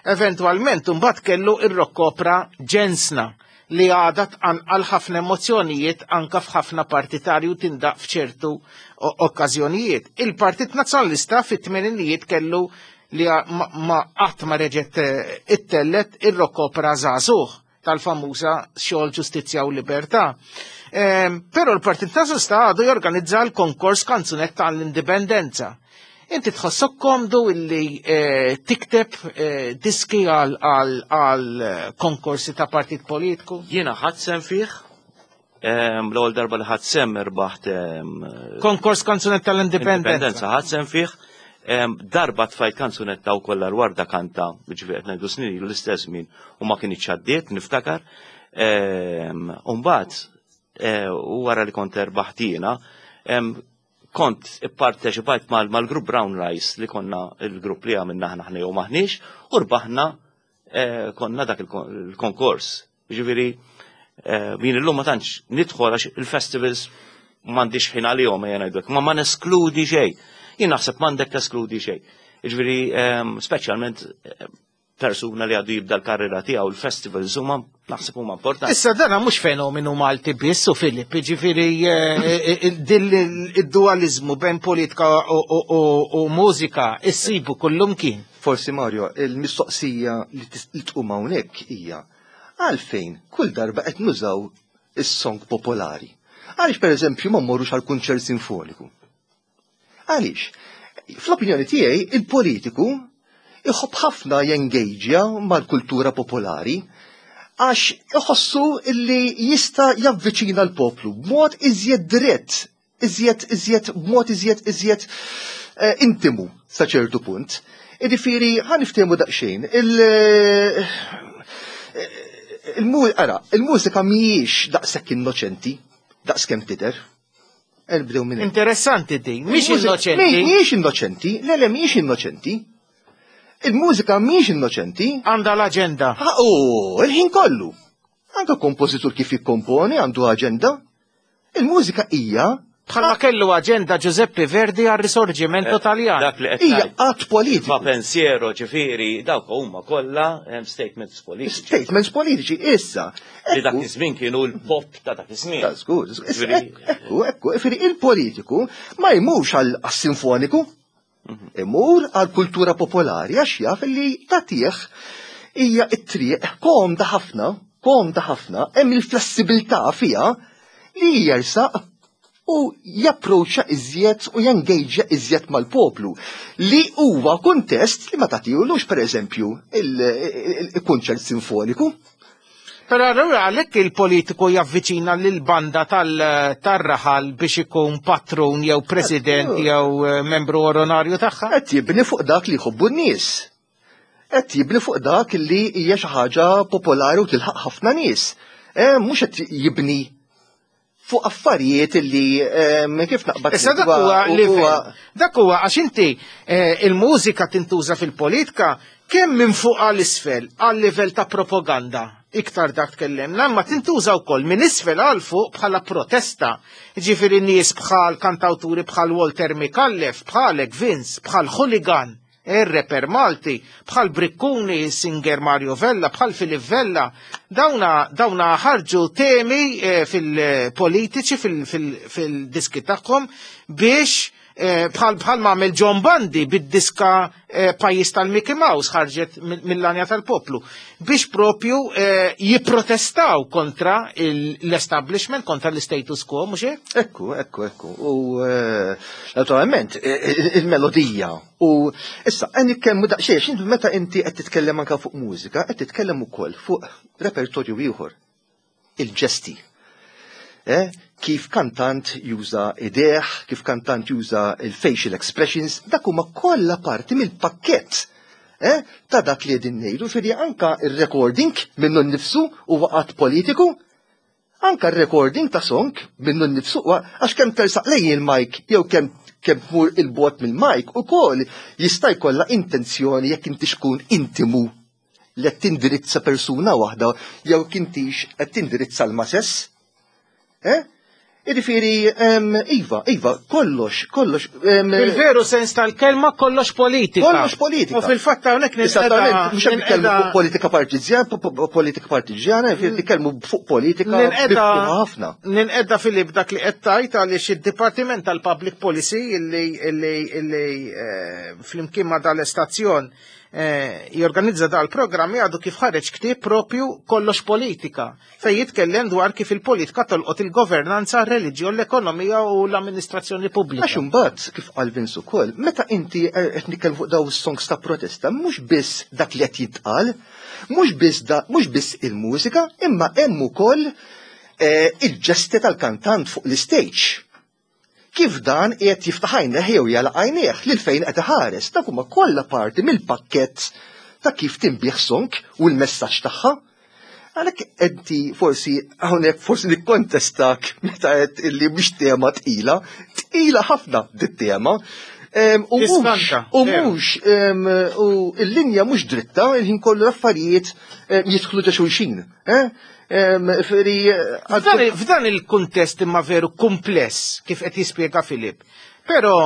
Eventwalment imbagħad kellu ir-rock opera Ġensna li għadha tqanqal ħafna emozzjonijiet anka f'ħafna partitarju tindaq f'ċertu okkażjonijiet. Il-Partit Nazzjonalista fit-tmeninijiet kellu li ma qatt ma reġgħet, eh, ittellet ir-rock opera Żagħżugħ tal-famuża Xogħol, Ġustizzja u Libertà. Ehm, però l-Partit Nazzjonalista għadu jorganizza l-konkors kanzunetta għall-Indipendenza. Inti tħossok komdu illi, eh, tikteb, eh, diski għal, għal, għal konkorsi ta' partit politiku? Jiena ħadd sem fih, ehm, l-ewwel darba li ħadd sem irbaħt, ehm, Konkors kanzunetta tal-Indipendenza. Indipendenza ħadd sem fih. Ehm, darba tfajt kanzunetta u kollha l-Warda Kanta, ġifieri qed ngħidu snin ilu l-istess żmien u ma kienx għaddiet, niftakar. Ehm, u mbagħad, eh, u wara li kont erbaħt jiena, ehm, Kont ipparteċipajt mal-grupp Brown Rice li konna il-grupp li għamilna aħna aħna jew maħniex u rbaħna eh, konna dak il-konkors. Ġifieri eh, jien illum ma tantx nidħol għax il-festivals m'għandix ħin għalihom ejja ngħidlek, ma ma neskludi xejn. Jien naħseb m'għandek teskludi xejn. Ġifieri ehm, speċjalment eh, persuna li għadu jibda l-karriera tiegħu il-festivals huma naħseb huma importanti. Issa dana mhux fenomenu Malti biss u Filip, ġifieri eh, eh, din id-dualizmu bejn politika u mużika issibu kullum kien. Forsi Mario, il-mistoqsija li tqum hawnhekk hija għalfejn kull darba qed nużaw is-song popolari. Għaliex pereżempju ma mmorrux għal kunċert sinfoniku? Għaliex? Fl-opinjoni tiegħi il-politiku iħobb ħafna jengaġja mal-kultura popolari għax iħossu illi jista' javviċina l-poplu b'mod iżjed dirett, iżjed iżjed b'mod iżjed iżjed eh, intimu sa ċertu punt. Jiġifieri ħa niftehmu daqsxejn, il- il- ara, il-mużika mhijiex daqshekk innoċenti, daqskemm tidher. Nibdew minn Interessanti di, mhix innoċenti. Mhijiex innoċenti, le le mhijiex innoċenti. Il-mużika mhijiex innoċenti. Għandha l-aġenda. Oh, il-ħin kollu. Anka kompożitur kif jikkomponi għandu aġenda. Il-mużika hija Bħalma kellu aġenda Giuseppe Verdi għal risorgimento Eh, Taljan. Dak li qed hija ngħid. att politiku. Ma pensiero ġifieri dawk huma kollha hemm statements politiċi. Statements politiċi, issa. Li dak iż-żmien kienu l-pop ta' dak iż-żmien. Ta' żgur, żgur. Issa, Ġifieri- Ekku, ekku, ġifieri il-politiku ma jmurx għal sinfoniku, imur għal kultura popolari għax jaf li tagħtih hija it-triq komda ħafna, komda ħafna, hemm il-flessibilità fiha li jersaq u japproċċa iżjed u jengaġja iżjed mal-poplu li huwa kuntest li ma tagħtihulux pereżempju il-kunċert sinfoniku. Però allura għalhekk il-politiku javviċina lil banda tal-raħal biex ikun patrun jew president jew eh, membru onorarju tagħha. Qed jibni fuq dak li jħobbu n-nies. Qed jibni fuq dak li hija xi ħaġa popolari u tilħaq ħafna nies. Eh, mhux qed jibni fuq affarijiet li eh, kif naqbad Issa dak huwa livell. Dak huwa għax inti eh, il-mużika tintuża fil-politika kemm minn fuq għal isfel għal livell ta' propaganda. Iktar dak tkellimna, ma tintuża wkoll minn isfel għal fuq bħala protesta. Ġifieri nies bħal kantawturi bħal Walter Micallef, bħalek Vince, bħal Hooligan, ir-reper Malti, bħal Brikkuni, singer Mario Vella, bħal Filip Vella, dawna, dawna ħarġu temi eh, fil-politiċi, fil-diski tagħhom biex eh, bħal bħal ma għamel John Bundy bid-diska eh, Pajjiż tal-Mickey Mouse ħarġet mill-Lanja tal-Poplu biex propju eh, jipprotestaw kontra l-establishment, kontra l-status quo, mhux hekk? Ekku, ekku, ekku. U eh, naturalment, il-melodija. U issa, għan nitkellmu daqsxejn, meta inti qed titkellem anka fuq mużika, qed titkellem ukoll fuq repertorju ieħor. Il-ġesti. Eh, kif kantant juża idejh, kif kantant juża il-facial expressions, dak huma kollha parti mill-pakkett eh, ta' dak li qegħdin ngħidu, ġifieri anka il-recording minnu nnifsu huwa att politiku, anka il-recording ta' song minnu nnifsu għax kemm tersaq lejn il-mic jew kemm kemm tmur 'il bogħod mill-mic ukoll jista' jkollha intenzjoni jekk inti tkun intimu li qed tindirizza persuna waħda jew kintix qed tindirizza l-masses. Eh? Jiġifieri, Iva, Iva, kollox, kollox. Fil-veru sens tal-kelma kollox politika. Kollox politika. U fil-fatt hawnhekk Esattament, mhux qed nitkellmu fuq politika partiġjana, politika partiġjana, nitkellmu fuq politika ħafna. Ninqedda Filip dak li qed tgħid għaliex id-Dipartiment tal-Public Policy illi illi illi eh, flimkien ma dal-istazzjon eh, jorganizza dal-programmi għadu kif ħareġ ktieb propju kollox politika fej jitkellem dwar kif il-politika tolqot il-governanza, reliġjon, l-ekonomija u l-amministrazzjoni pubblika. Għax imbagħad kif qal Vince ukoll, meta inti qed nitkellmu fuq daw is-songs ta' protesta, mhux biss dak li qed jitqal, mhux biss da, mhux biss il-mużika, imma hemm ukoll eh, il-ġesti tal-kantant fuq l-stage. Kif dan qed jiftaħ għajnejh jew jagħlaq għajnejh lil fejn qed iħares, dak huma kollha parti mill-pakkett ta' kif tinbiegħ song u l-messaġġ tagħha. Għalhekk inti forsi hawnhekk forsi nikkontestak meta qed illi mhix tema tqila, tqila ħafna dit-tema. U mhux, u mhux, u l-linja mhux dritta, il-ħin kollu l-affarijiet jidħlu ġo xulxin. F'dan il-kuntest imma veru kumpless kif qed jispjega Filip. Però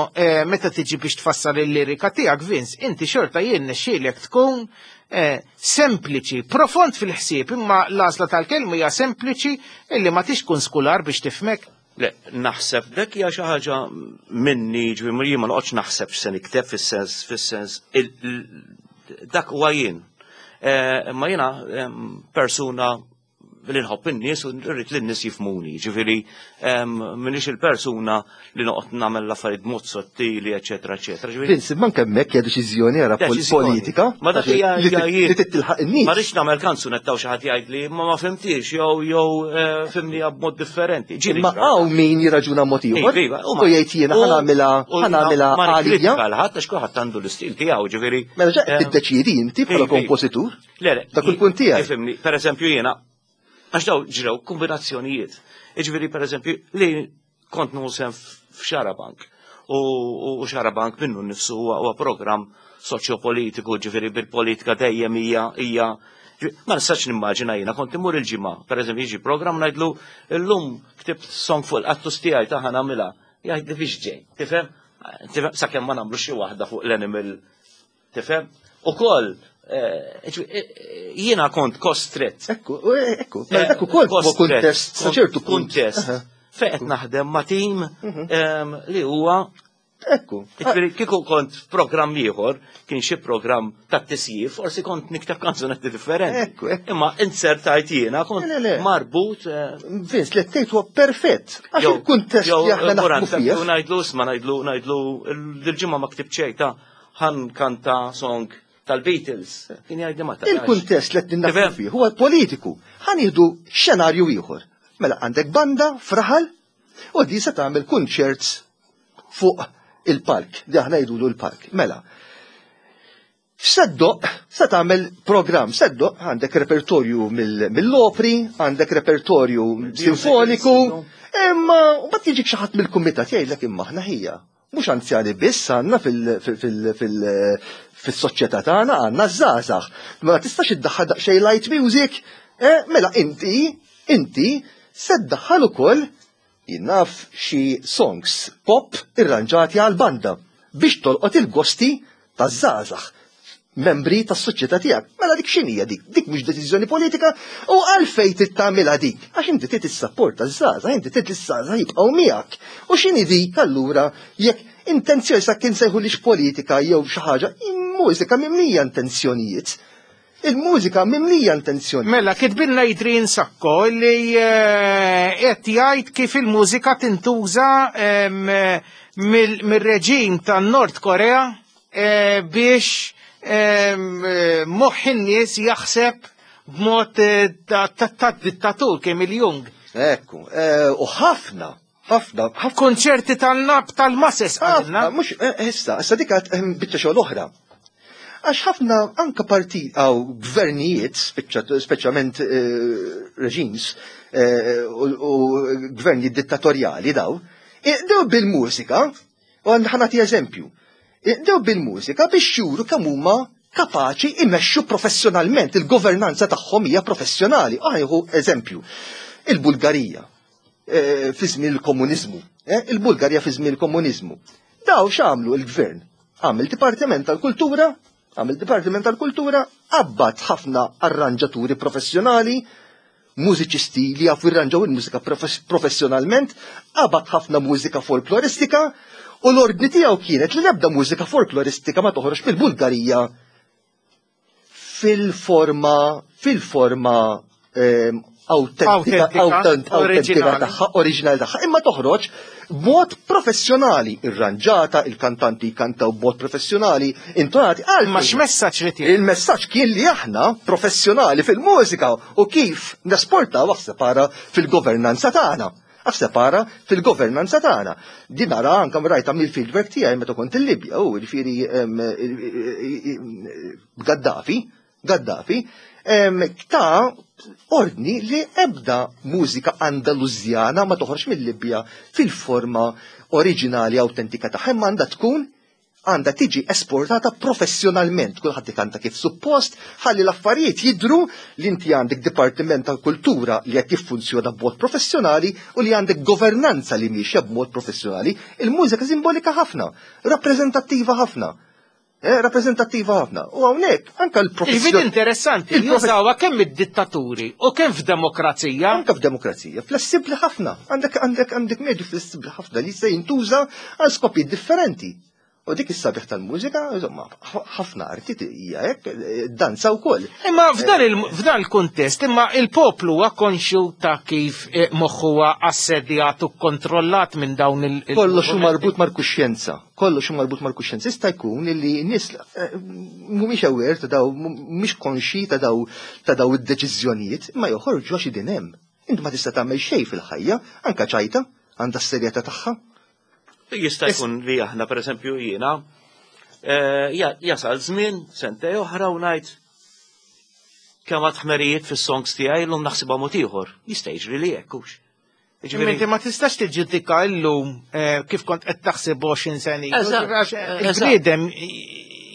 meta tiġi biex tfassal il-lirika tiegħek, Vince, inti xorta jien nexxielek tkun sempliċi, profond fil-ħsieb, imma l-għażla tal-kelma hija sempliċi illi ma tix tkun skular biex tifmek. Le, naħseb dak hija xi ħaġa minni, ġifieri jien ma noqgħodx naħseb x'se nikteb fis-sens fis-sens dak huwa jien. Imma jiena persuna li nħobb in-nies u rrid li n-nies jifhmuni, ġifieri m'iniex il-persuna li noqgħod nagħmel l-affarijiet b'mod sottili, eċetera, eċetera. Vince, manke hemmhekk hija deċiżjoni ara politika. Ma dak hija li titilħaq in-nies. Ma rridx nagħmel kanzunetta u xi ħadd jgħidli ma ma fimtix jew jew fimni b'mod differenti. Ma hawn min jirraġuna mod ieħor u jgħid jiena ħa nagħmilha ħa nagħmilha għalija. Ma ħadd għax kulħadd għandu l-istil tiegħu, ġifieri. Mela ġa qed tiddeċiedi inti bħala kompożitur. Le, le. Dak il-punt tiegħek. Ifhimni, pereżempju jiena għax daw ġrew kombinazzjonijiet. Iġifieri pereżempju li kont nusem f'Xarabank u Xarabank minnu nnifsu huwa programm soċjopolitiku, ġifieri bil-politika dejjem hija hija ma nistax nimmaġina jiena kont imur il-ġimgħa, pereżempju jiġi programm ngħidlu llum ktibt song fuq il-qattus tiegħi ta' ħa nagħmilha. Jgħidli biex ġej, tifhem? Sakemm ma nagħmlu xi waħda fuq l-animal, tifhem? Ukoll jiena kont kostret. Ekku, ekku, mela dak ukoll huwa kuntest, sa ċertu kuntest. Fejn qed naħdem ma' tim li huwa Ekku. Kieku kont f'programm ieħor, kien xi programm tat-tisjif, forsi kont nikteb kanzunetti differenti. Ekku, ekku. Imma insertajt jiena kont marbut. Vince, li tgħid huwa perfett. Għax il-kuntest li aħna naħdmu fih. Ngħidlu isma' ngħidlu ngħidlu l-ġimgħa ma ktibt xejn ta' ħan kanta song tal-Beatles. Kien jgħidli ma tarax. Il-kuntest li qed naħdmu fih huwa politiku. Ħa nieħdu xenarju ieħor. Mela għandek banda fraħal u di se tagħmel kunċert fuq il-park, di aħna jgħidulu l-park. Mela, seddoq, se tagħmel programm, seddoq għandek repertorju mill-opri, għandek repertorju sinfoniku, imma mbagħad jiġik xi ħadd mill-kumitat jgħidlek imma aħna ħija. Mhux anzjani biss għandna fil-soċjetà tagħna għandna żgħażagħ. Ma tistax iddaħħal daqsxejn light music, mela inti, inti se ddaħħal ukoll jinnaf xi songs pop irranġati għal banda biex tolqot il-gosti taż-żgħażagħ, membri tas-soċjetà tiegħek. Mela dik x'inhija dik? Dik mhux deċiżjoni politika u għalfejn trid tagħmilha dik? Għax inti trid issapporta ż-żgħażagħ, inti trid iż-żgħażagħ jibqgħu miegħek. U x'inhi dik allura jekk intenzjoni sa kien sejħulix politika jew xi ħaġa, mużika mimlija intenzjonijiet. Il-mużika mimlija intenzjoni. Mela, kitbilna Adrian Sacco li qed jgħid kif il-mużika tintuża mir-reġim tan-Nord Korea biex moħħ in-nies jaħseb b'mod ta' dittatur Kim Il-Jung. Ekku, u ħafna, ħafna, ħafna. Konċerti tal-nab tal-masses għandna. Mhux, issa, issa dik biċċa xogħol oħra. Għax ħafna anka parti għaw gvernijiet, speċjalment reġims u gvernijiet dittatorjali daw, iqdew bil-mużika, u ħanati eżempju, iqdew bil-mużika biex juru kemm huma kapaċi imexxu professjonalment, il-governanza tagħhom hija professjonali. Għajħu eżempju, il-Bulgarija fi żmien il-komuniżmu, il-Bulgarija fi żmien il-komuniżmu. Daw x'għamlu il-gvern? Għamel Dipartiment tal-Kultura, għamil Dipartiment tal-Kultura, abbat ħafna arranġaturi professjonali, mużiċisti li jafu jirranġaw il-mużika professjonalment, abbat ħafna mużika folkloristika, u l-ordni tiegħu kienet li l-ebda mużika folkloristika ma toħroġ mill-Bulgarija fil-forma, fil-forma autentika, autentika tagħha, oriġinali tagħha, imma toħroġ b'mod professjonali, irranġata, il-kantanti jkantaw b'mod professjonali, intonati għal. Ma x'messaġġ li tiegħek? Il-messaġġ kien li aħna professjonali fil-mużika u kif nesportaw separa fil-governanza tagħna. Separa fil-governanza tagħna. Din nara anke rajta mill-fieldwork tiegħi meta kont il-Libja, u jiġifieri Gaddafi, Gaddafi, Ta' ordni li ebda mużika Andalużjana ma toħroġ mill-Libja fil-forma oriġinali autentika tagħha, imma għandha tkun għandha tiġi esportata professjonalment, kulħadd ikanta kif suppost, ħalli l-affarijiet jidru li inti għandek dipartiment tal-kultura li qed jiffunzjona b'mod professjonali u li għandek governanza li miexja b'mod professjonali. Il-mużika simbolika ħafna, rappreżentattiva ħafna. Eh, rappreżentattiva ħafna. U hawnhekk anke Il-vid l-professjon interessanti, il-profe- jużawha kemm id-dittaturi u kemm f'demokrazija. Anka f'demokrazija, flessibbli ħafna. Għandek għandek għandek medju flessibbli ħafna li se jintuża għal skopijiet differenti. U dik is-sabiħ tal-mużika, insomma, ħafna arti hija hekk, danza wkoll. Imma f'dan il- f'dan il-kuntest, imma il-poplu huwa konxju ta' kif eh, moħħu huwa assedjat u kontrollat minn dawn il- il- Kollox hu marbut mal-kuxjenza. Kollox hu marbut mal-kuxjenza. Jista' jkun li nies eh, mhumiex aware ta' daw, mhumiex konxi ta' daw ta' daw id-deċiżjonijiet, imma joħorġu għax idin hemm. Inti ma tista' tagħmel xejn fil-ħajja, anka ċajta għandha s-serjetà tagħha. Jista' jkun li aħna pereżempju jiena eh, ja- jasal żmien sentej oħra u ngħid kemm għad ħmerijiet fis-songs tiegħi llum naħsibha mod ieħor. Jista' jiġri li hekk hux. Imma inti ma tistax tiġġudika llum eh, kif kont qed taħseb għoxrin sena ilu. Eżatt, Għax eżatt. Il-bniedem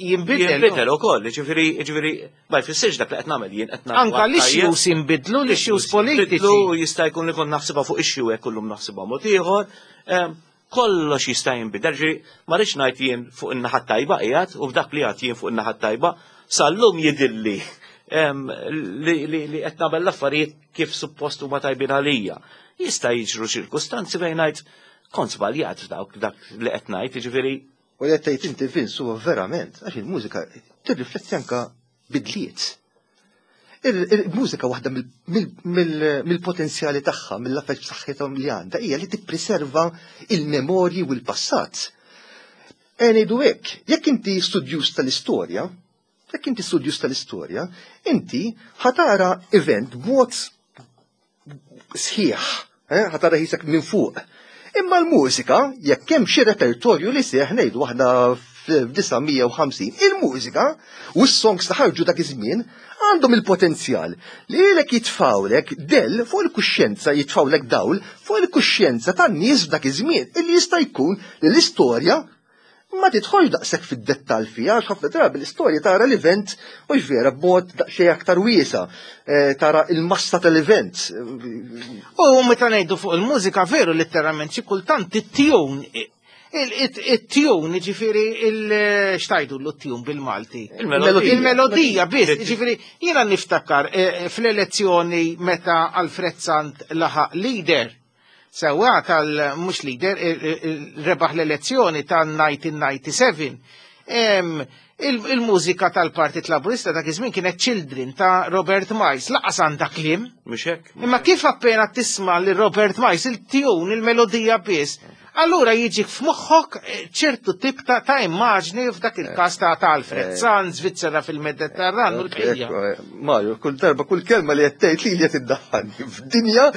jinbidel. Jinbidel ukoll, ġifieri ġifieri ma jfissirx dak li qed nagħmel jien qed nagħmel. Anka l-issues jinbidlu, l-issues politiċi. Jinbidlu, jista' jkun li kont naħsibha fuq issue hekk kullum naħsibha mod ieħor. Em, Kollox jista' jinbidel, ġifieri ma rridx ngħid jien fuq in-naħa tajba qiegħed u f'dak li għad jien fuq in-naħa tajba sal-lum jidilli em, li li li qed nagħmel l-affarijiet kif suppost huma tajbin għalija. Jista' jiġru ċirkustanzi fejn ngħid kont żbaljat f'dawk dak li qed ngħid, jiġifieri U li qed tgħid inti Vince huwa verament, għax il-mużika tirrifletti anka bidliet. Il- Il-mużika waħda mill- mill- mill- mill-potenzjali tagħha, mill-affett b'saħħithom li għandha, hija li tippreserva il-memorji u l-passat. E ngħidu hekk, jekk inti studjuż tal-istorja, jekk inti studjuż tal-istorja, inti ħatara event b'mod sħiħ, eh, ħatara ħisek minn fuq. Imma l-mużika, jekk hemm xi repertorju li seħ ngħidu waħda f'disa' mija u ħamsin, il-mużika u s-songs li ħarġu dak iż-żmien għandhom il-potenzjal li lilek jitfawlek del fuq il-kuxjenza, jitfawlek dawl fuq il-kuxjenza tan-nies f'dak iż-żmien, illi jista' jkun li l-istorja ma tidħolx daqshekk fid-dettall fiha, għax ħafna drabi l-istorja tara l-event u vera b'mod daqsxejn aktar wiesa, eh, tara il-massa tal-event. U meta ngħidu fuq il-mużika veru letteralment xi kultant it-tune it-tune ġifieri il xtajdu l-tune bil-Malti. Il-melodija. Il-melodija biss, ġifieri jiena niftakar eh, fl-elezzjoni meta Alfred Sant laħaq leader. Sewa tal mhux leader, eh, eh, rebaħ l-elezzjoni tal-elf disa' mija u disgħa u sebgħin. Em, il- Il-mużika tal-Partit Laburista dak iż-żmien kienet Children ta' Robert Miles, laqas għandha kliem. Mhux hekk? Imma kif appena tisma' li Robert Miles il-tune, il-melodija biss, allura jiġik f'moħħok eh, ċertu tip ta' ta' immaġni f'dak il-każ ta' ta' Alfred Sant, Svizzera fil-Mediterran u l-bqija. Ekku, eh, Mario, kull darba, kull kelma li qed tgħid li li qed iddaħħalni f'dinja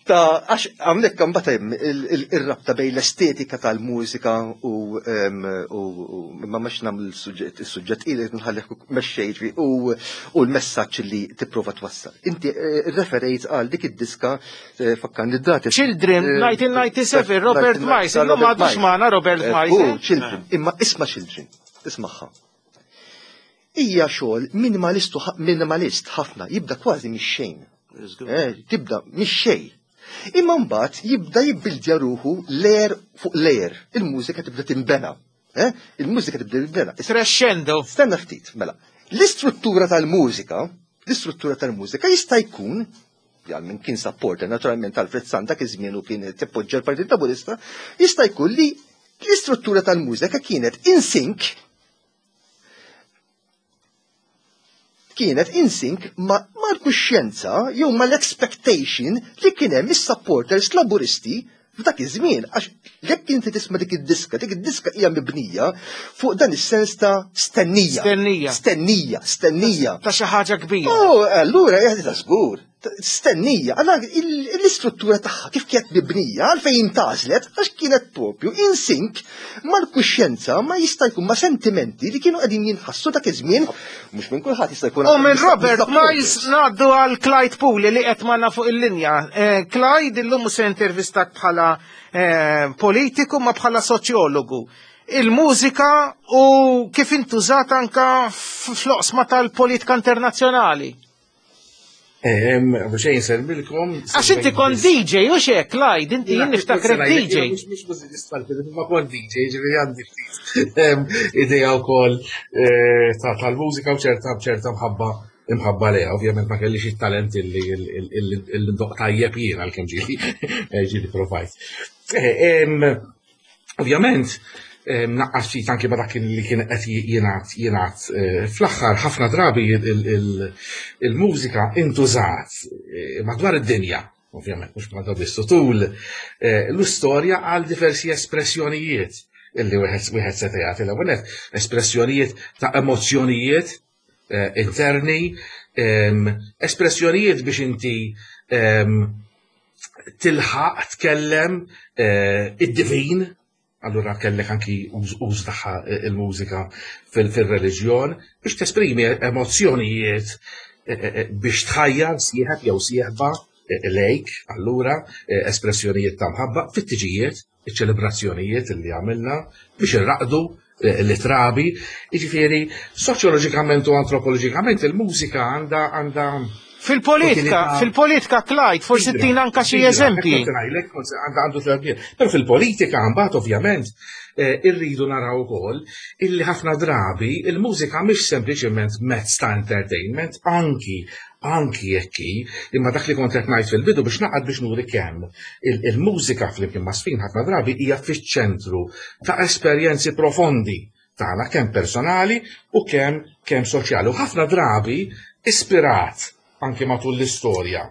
ta' għax hawnhekk imbagħad hemm il- il- ir-rabta bejn l-estetika tal-mużika u em, u u- ma mhux nagħmel il-suġġett is-suġġett ili nħallih mexxej ġifieri, u u l-messaġġ li tipprova twassal. Inti eh, referejt għal dik id-diska eh, fakkarni d-dati. Children, Eh, elf disa' mija u disgħa u sebgħin, Robert Miles, illum Robert m'għadux Miles. magħna Robert Eh, Miles, u eh? Children, imma isma' Children, ismagħha. Hija xogħol minimalistu minimalist ħafna, jibda kważi mix-xejn. Eh, tibda mix-xejn. Imma mbagħad jibda jibbildja ruħu layer fuq layer. Il-mużika tibda timbena. Eh? Il-mużika tibda timbena. Crescendo. Stenna ftit, mela. L-istruttura tal-mużika, l-istruttura tal-mużika jista' jkun għal min kien supporter naturalment Alfred Sant dak iż-żmien u kien jappoġġja l-Partit Laburista, jista' jkun li l-istruttura tal-mużika kienet in sync kienet in sync ma' mal-kuxjenza jew mal-expectation li kien hemm is-supporters Laburisti f'dak iż-żmien għax jekk inti tisma' dik id-diska, dik id-diska hija mibnija fuq dan is-sens ta' stennija. Stennija. Stennija, stennija. Ta' xi ħaġa kbira. Oh, allura, eh, ta' żgur, Stennija, għalla l-istruttura tagħha kif kienet mibnija, għalfejn intgħażlet, għax kienet propju in sync mal-kuxjenza, ma jista' jkun ma' sentimenti li kienu qegħdin jinħassu dak iż-żmien, mhux minn kulħadd jista' jkun. U minn Robert Miles ngħaddu għal Clyde Puli li qed magħna fuq il-linja. Eh, Clyde, illum se intervistak bħala eh, politiku ma bħala soċjologu. Il-mużika u kif intużat anka fl-oqsma tal-politika internazzjonali. Xejn insellmilkom. Għax inti kont D J, u xek, Clyde, inti jien niftakrek D J. Mux mużiċist, ma kont D J, ġifieri għandi ftit idea wkoll eh, tal-mużika u ċerta ċerta mħabba imħabba leha. Ovvjament ma kellix it-talent illi ndoqq tajjeb jien, għalkemm ġieli ġieli provajt. Eh, ovvjament, naqqas ftit anki ma dak li kien qed jingħad jingħad eh, fl-aħħar. Ħafna drabi il-mużika intużat eh, madwar id-dinja, ovvjament mhux madwar biss, tul eh, l-istorja għal diversi espressjonijiet illi wieħed wieħed seta' jagħti. L-ewwel espressjonijiet ta' emozzjonijiet interni, espressjonijiet biex inti tilħaq tkellem id-divin. Allura kellek anki uż tagħha il-mużika fil-reliġjon biex tesprimi emozzjonijiet, eh, eh, eh, biex tħajjar sieħeb jew sieħba lejk, allura espressjonijiet ta' mħabba fit-tiġijiet, iċ-ċelebrazzjonijiet li għamilna biex irraqdu l-trabi. Jiġifieri, soċjoloġikament u antropoloġikament il-mużika għandha għandha Fil-politika, fil-politika, Clyde, forsi tina anka xi eżempji. Għandu. Però fil-politika mbagħad ovvjament eh, irridu naraw ukoll illi ħafna drabi il-mużika mhix sempliċement mezz ta' entertainment, anki anki jekk, imma dak li kont qed ngħid fil-bidu biex naqgħad biex nuri kemm il-mużika flimkien ma' żfin ħafna drabi hija fiċ-ċentru ta' esperjenzi profondi tagħna, kemm personali u kemm kemm soċjali. U ħafna drabi ispirat anke matul l-istorja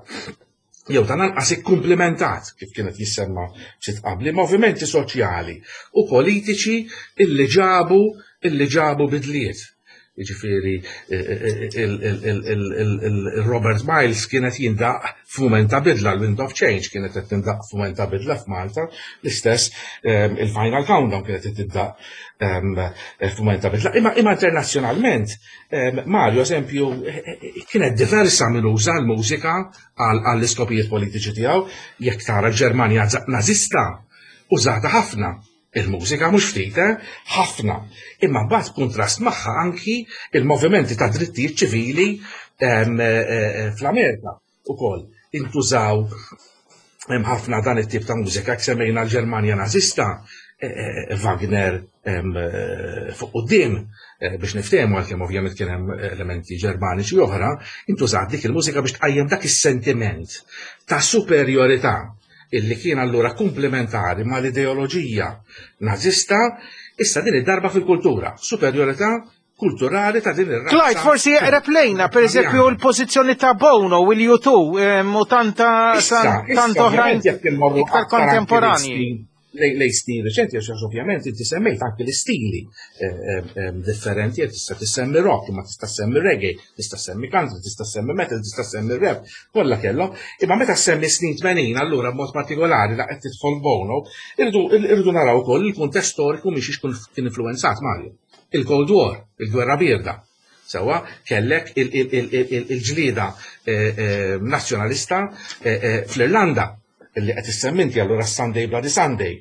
jew ta' lanqas ikkumplimentat, kif kienet jissemma ftit qabli, movimenti soċjali u politiċi illi ġabu illi ġabu bidliet. Jiġifieri il-Robert Miles kienet jindaq f'mument ta' bidla, l-Wind of Change kienet qed tindaq f'mument ta' bidla f'Malta, l-istess il-Final Countdown kienet qed tindaq f'mument ta' bidla. Imma imma internazzjonalment, Mario, eżempju, kienet diversa minn uża l-mużika għall-iskopijiet politiċi tiegħu. Jekk tara l-Ġermanja Nazista, użata ħafna il-mużika, mhux ftit, eh? Ħafna. Imma mbagħad kontrast magħha anki il-movimenti ta' drittijiet ċivili eh, eh, fl-Amerika ukoll intużaw hemm ħafna dan it-tip ta' mużika. Jekk semmejna l-Ġermanja Nazista, Wagner fuq quddiem biex niftehmu, għalkemm ovvjament kien hemm elementi Ġermaniċi oħra, intużat dik il-mużika biex tqajjem dak is-sentiment ta' superjorità illi kien allura komplementari mal-ideoloġija nazista, issa din id-darba fil-kultura, superjorità kulturali ta' din ir-razza. Clyde, forsi jeqreb lejna, per eżempju, l-pożizzjoni ta' Bono u l-U two u tanta tant oħrajn iktar kontemporani. Lej stil reċenti, għax ovvjament inti semmejt anke l-istili eh, eh, eh, differenti, tista' tissemmi rock, ma tista' semmi reggae, tista' semmi country, tista' semmi metal, tista' semmi rap, kollha kellhom. Imma meta semmi snin tmenin, allura b'mod partikolari la qed tidħol Bono, irridu naraw ukoll il-kuntest storiku mhix kien influenzat, Mario. Il-Cold War, il-Gwerra Birda. Sewa, kellek il-ġlida nazzjonalista fl-Irlanda illi qed issemminti allura Sunday Bloody Sunday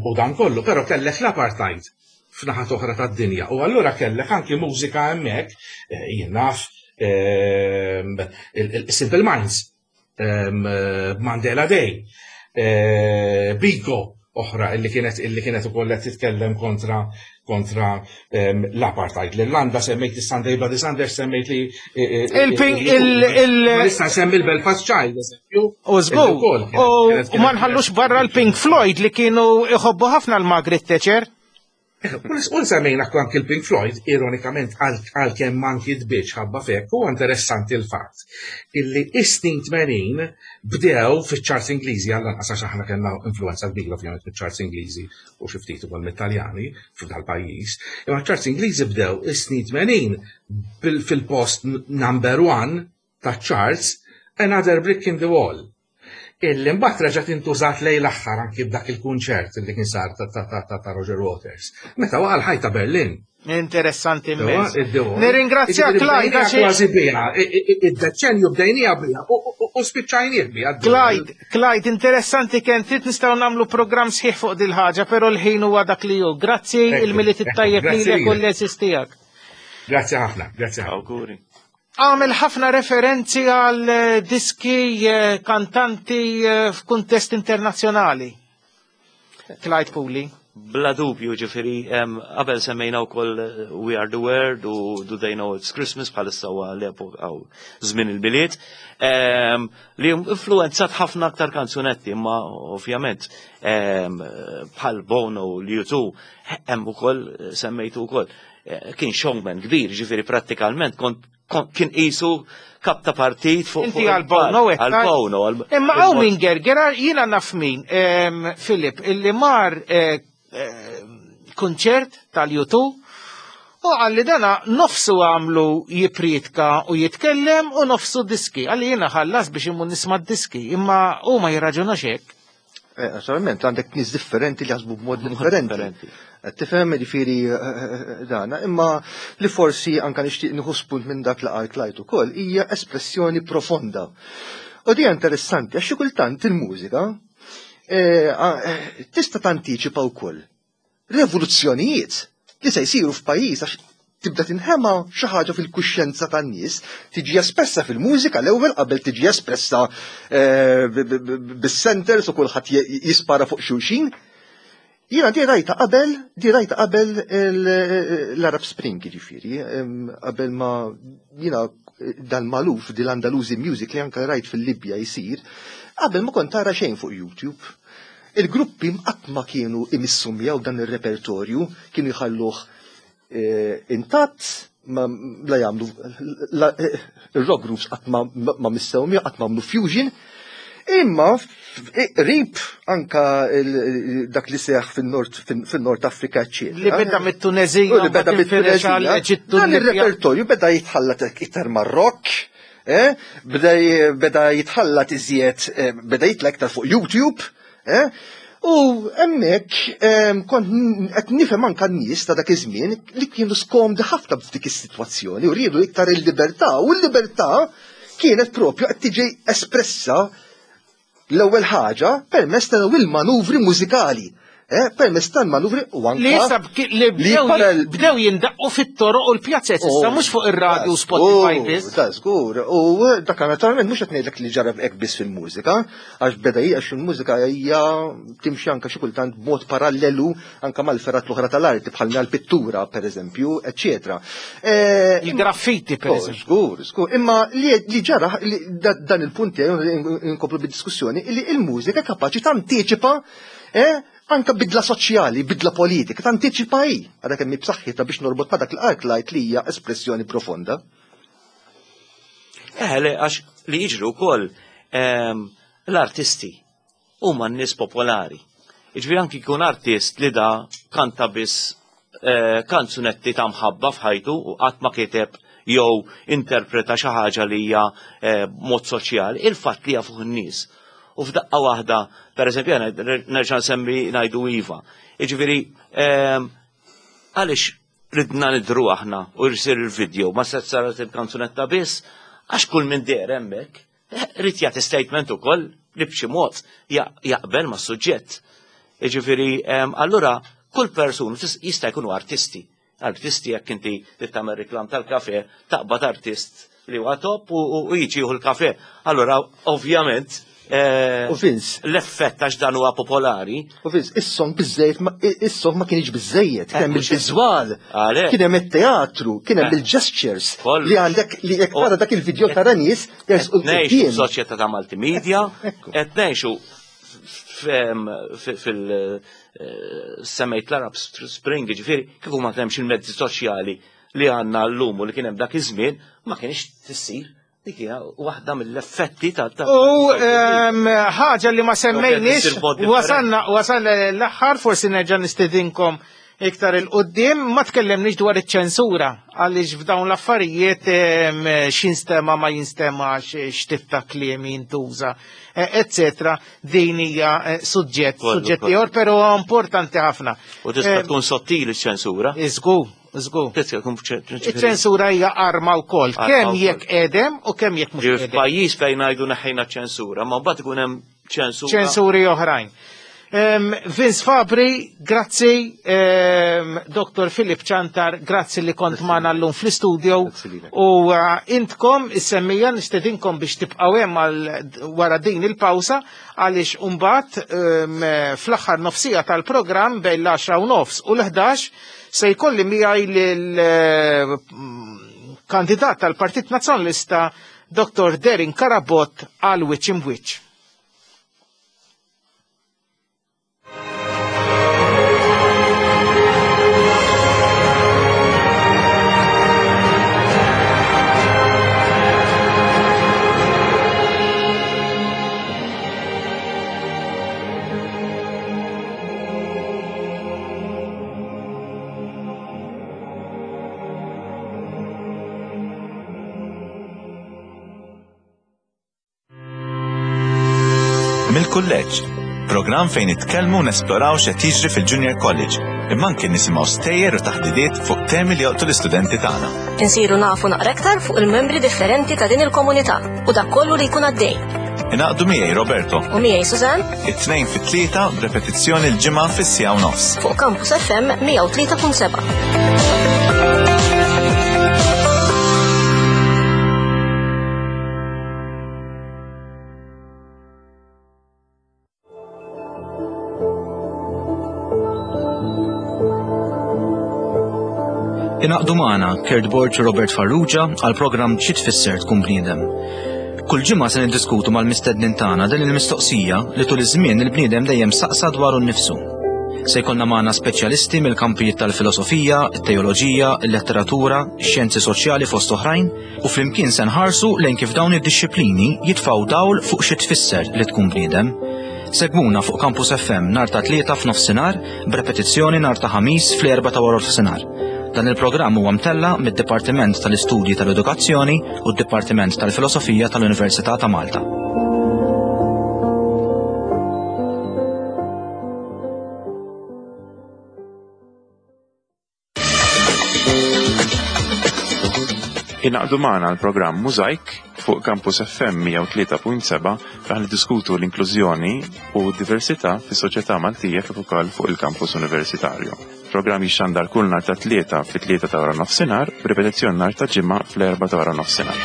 u dan kollu, però kellek l-apartheid f'naħat oħra tad-dinja u allura kellek anki mużika hemmhekk, eh, jien naf, il-Simple Minds, Mandela Day, eh, Biko oħra illi kienet illi kienet ukoll qed titkellem kontra kontra l-apartheid. L-Irlanda semmejt is-Sunday Bloody Sunday, semmejt li Il-pink il il Issa semmi l-Belfast Child, eżempju. U żgur, u ma nħallux barra l-Pink Floyd li kienu iħobbu ħafna l-Margaret Thatcher. U semmejna anki l-Pink Floyd, ironikament għalkemm manki tbiċ ħabba fek, u interessanti l-fatt illi is-snin tmenin bdew fiċ-charts Ingliżi, għall anqas għax aħna kellna influenza kbira ovvjament fiċ-charts Ingliżi u xi ftit ukoll mit-Taljani f'dal-pajjiż, imma ċ-charts Ingliżi bdew is-snin tmenin fil-post number one ta' charts Another Brick in the Wall. Illi mbagħad reġgħet intużat lejn l-aħħar anki b'dak il-kunċert li kien sar ta' ta' ta' ta' Roger Waters. Meta waqa' l-ħajt ta' Berlin. Interessanti immens. Nirringrazzjak, Clyde. Kważi biha, id-deċenju bdejnija biha u spiċċajnieh biha. Clyde, Clyde, interessanti kien trid nistgħu nagħmlu programm sħiħ fuq dil-ħaġa, però l-ħin huwa dak li hu. Grazzi, il-Milied it-tajjeb lilek u l-għeżież tiegħek. Grazzi ħafna, grazzi ħafna. Awguri. Għamel ħafna referenzi għal diski, kantanti f'kuntest internazzjonali. Clyde Puli. Bla dubju, ġifieri, qabel semmejna wkoll We Are the World u Do They Know It's Christmas, bħalissa huwa l-epoka għaw żmien il-Milied, li influenzat ħafna aktar kanzunetti, imma ovvjament bħal Bono u U two hemm ukoll semmejtu wkoll kien showman kbir, ġifieri prattikalment kont kien qisu kap ta' partit fuq. Inti għal Bono. Għal Bono. Imma hawn min gerger, jiena naf min, Filip, illi mar kunċert tal-U two u għalli dana nofsu għamlu jipritka u jitkellem u nofsu diski. Għalli jiena ħallas biex imur nisma' diski, imma u ma jirraġunax hekk. Naturalment, għandek nies differenti li jaħsbu b'mod differenti. Tifhem, ġifieri dana, imma li forsi anka nixtieq nieħu spunt minn dak li qal Clyde ukoll hija espressjoni profonda. U di interessanti għax xi kultant il-mużika tista' tantiċipa wkoll revoluzzjonijiet li se jsiru f'pajjiż, għax tibda tinħema xi ħaġa fil-kuxjenza tan-nies, tiġi espressa fil-mużika l-ewwel qabel tiġi espressa bis-centers u kulħadd jispara fuq xulxin. Jiena di rajta qabel, di rajta qabel l-Arab Spring, ġifieri, qabel ma jiena dal-Malouf, dil-Andalusi music li anka rajt fil-Libja jsir, qabel ma kont tara xejn fuq YouTube. Il-gruppi qatt ma kienu imissu miegħu dan ir-repertorju, kienu jħalluh intatt, ma la jagħmlu ir-rock groups qatt ma missew miegħu, qatt ma għamlu fusion. Imma rib anka dak li seħ fil-Nord Afrika, eccetera. Li beda mit-Tunezija, li beda mit-Tunezija. Dan ir-repertorju beda jitħallat iktar mar-rock, beda jitħallat iżjed, beda jitla iktar fuq YouTube, u hemmhekk kont qed nifhem anka n-nies ta' dak iż-żmien li kienu skomdi ħafna f'dik is-sitwazzjoni u riedu iktar il-libertà, u l-libertà kienet propju qed tiġi espressa l-ewwel ħaġa permezz ta' il-manuvri mużikali. Permezz tal-manuvri u anka li issa li bdew jindaqqu fit-toroq u l-pjazzett issa mhux fuq ir-radju Spotify biss. Da żgur, u dak naturalment mhux qed ngħidlek li ġara hekk biss fil-mużika, għax beda għax il-mużika hija timxi anka xi kultant b'mod parallelu anka mal-ferat l-oħra tal-arti bħal l-pittura pereżempju, eċċetera. Il-graffiti pereżempju. Żgur, żgur. Imma li ġara dan il-punt inkomplu bid-diskussjoni li l-mużika kapaċi tantiċipa anka bidla soċjali, bidla politika, tantiċipa hi. Għadha kemm b'saħħitha biex norbot ma' dak l-ark li hija espressjoni profonda. Eh, le, għax li jiġru wkoll l-artisti huma n-nies popolari. Jiġifieri anki jkun artist li da kanta biss kanzunetti ta' mħabba f'ħajtu u qatt ma kiteb jew interpreta xi ħaġa li hija mod soċjali, il-fatt li jafuh in-nies. U f'daqqa waħda, per eżempju, nerġa' nsemmi ngħidu iva. Jiġifieri, għaliex ridna nidru aħna u jsir il-video, ma se saret il-kanzunetta biss, għax kull min deher hemmhekk rid jagħti statement ukoll li b'xi mod jaqbel mas-suġġett. Jiġifieri, allura kull persuna jista' jkunu artisti. Artisti jekk inti trid tagħmel reklam tal-kafe, taqbad artist li huwa top u jiġi jieħu l-kafe. Allura, ovvjament, U Vince. L-effett għax dan huwa popolari. U Vince, is-song biżejjed, is-song ma kienx biżejjed, kien hemm il-viżwal, Għalhekk. kien hemm it-teatru, kien hemm Eh. il-gestures Kollox. li għandek li jekk tara dak il-video tara nies jersqu Qed ngħixu quddiem. f'soċjetà ta' multimedia, Ekku. qed ngħixu fil semmejt l-Arab Spring, ġifieri, kieku ma kienx il-mezzi soċjali li għandna llum u li kien hemm dak iż-żmien, ma kienx tissir. Dik hija waħda mill-effetti ta' ta' U ehm, ħaġa li ma semmejniex, Issir mod differenti. wasalna wasalna l-aħħar, forsi nerġa' nistedinkom iktar il-qoddim. Ma tkellemniex dwar iċ-ċensura, għaliex f'dawn l-affarijiet x'instema ma jinstemax, x'tip ta' kliem jintuża, eccetera. Din hija suġġett, suġġett ieħor, però importanti ħafna. U tista' tkun sottili ċ-ċensura. Iżgur, żgur. Iċ-ċensura hija arma wkoll, kemm jekk qedem u kemm jekk mhux qedem. F'pajjiż fejn ngħidu neħħejna ċ-ċensura, ma mbagħad ikun hemm ċensura. Ċensuri oħrajn. Vince Fabri, grazzi, Doktor Philip Ciantar, grazzi li kont magħna llum fl-istudio. U intkom is-semmija nistedinkom biex tibqgħu hemm wara din il-pawsa, għaliex imbagħad fl-aħħar nofsija tal-programm bejn l-għaxra u nofs u l-ħdax se jkolli miegħi lill-kandidat tal-Partit Nazzjonalista Doktor Darren Carabott għal Wiċċ Imwiċċ. Mill-kulleġġ, programm fejn nitkellmu u nesploraw x'qed jiġri fil-Junior College, imma anke nisimgħu stejjer u taħdidiet fuq temi li joqtu l-istudenti tagħna. Insiru nafu naqra aktar fuq il-membri differenti ta' din il-komunità u dak kollu li jkun għaddej. Ingħaqdu miegħi Roberto u miegħi Suzanne it-tnejn fit-tlieta b'repetizzjoni l-ġimgħa fis-siegħa u nofs. Fuq Campus F M mija u tlieta punt seba'. Ingħaqdu magħna Kurt Borg u Robert Farrugia għal programm Xi Tfisser Tkun Bniedem. Kull ġimgħa se niddiskutu mal-mistednin tagħna din il-mistoqsija li tul iż-żmien il-bniedem dejjem saqsa dwaru nnifsu. Se jkollna magħna speċjalisti mill-kampijiet tal-filosofija, it-teoloġija, il-letteratura, ix-xjenzi soċjali fost oħrajn, u flimkien se nħarsu lejn kif dawn id-dixxiplini jitfgħu dawl fuq xi tfisser li tkun bniedem. Segwuna fuq Campus F M nhar ta' tlieta f'nofsinhar b'repetizzjoni nhar ta' ħamis fl-erba' ta' wara nofsinhar. Dan il-programm huwa mtella mid-Dipartiment tal-Istudji tal-Edukazzjoni u d-Dipartiment tal-Filosofija tal-Università ta' Malta. Ingħaqdu magħna l-programm Mużajk fuq Campus F M mija u tlieta punt seba' fejn niddiskutu l-inklużjoni u d-diversità fis-soċjetà Maltija kif ukoll fuq il-kampus universitarju. Programm jixxandar kull nhar ta' tlieta fit-tlieta ta' wara nofsinhar, b'ripetizzjoni nhar ta' ġimgħa fl-erba' ta' wara nofsinhar.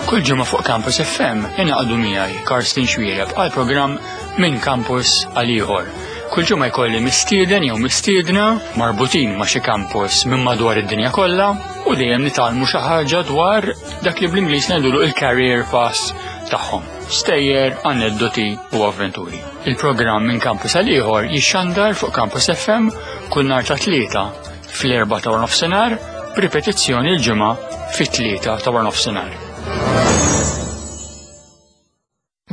Kull ġimgħa fuq Campus F M ingħaqdu miegħi Karsten Xuereb għal programm Minn Campus għal ieħor. Kull ġimgħa jkolli mistieden jew mistiedna marbutin ma' xi campus minn madwar id-dinja kollha u dejjem nitgħallmu xi ħaġa dwar dak li bl-Ingliż ngħidulu il-career path tagħhom. Stejjer, aneddoti u avventuri. Il-programm Minn Campus għal ieħor jixxandar fuq Campus F M kull nhar ta' tlieta fl-erba' ta' nofsinhar b'ripetizzjoni l-ġimgħa fit-tlieta ta' nofsinhar.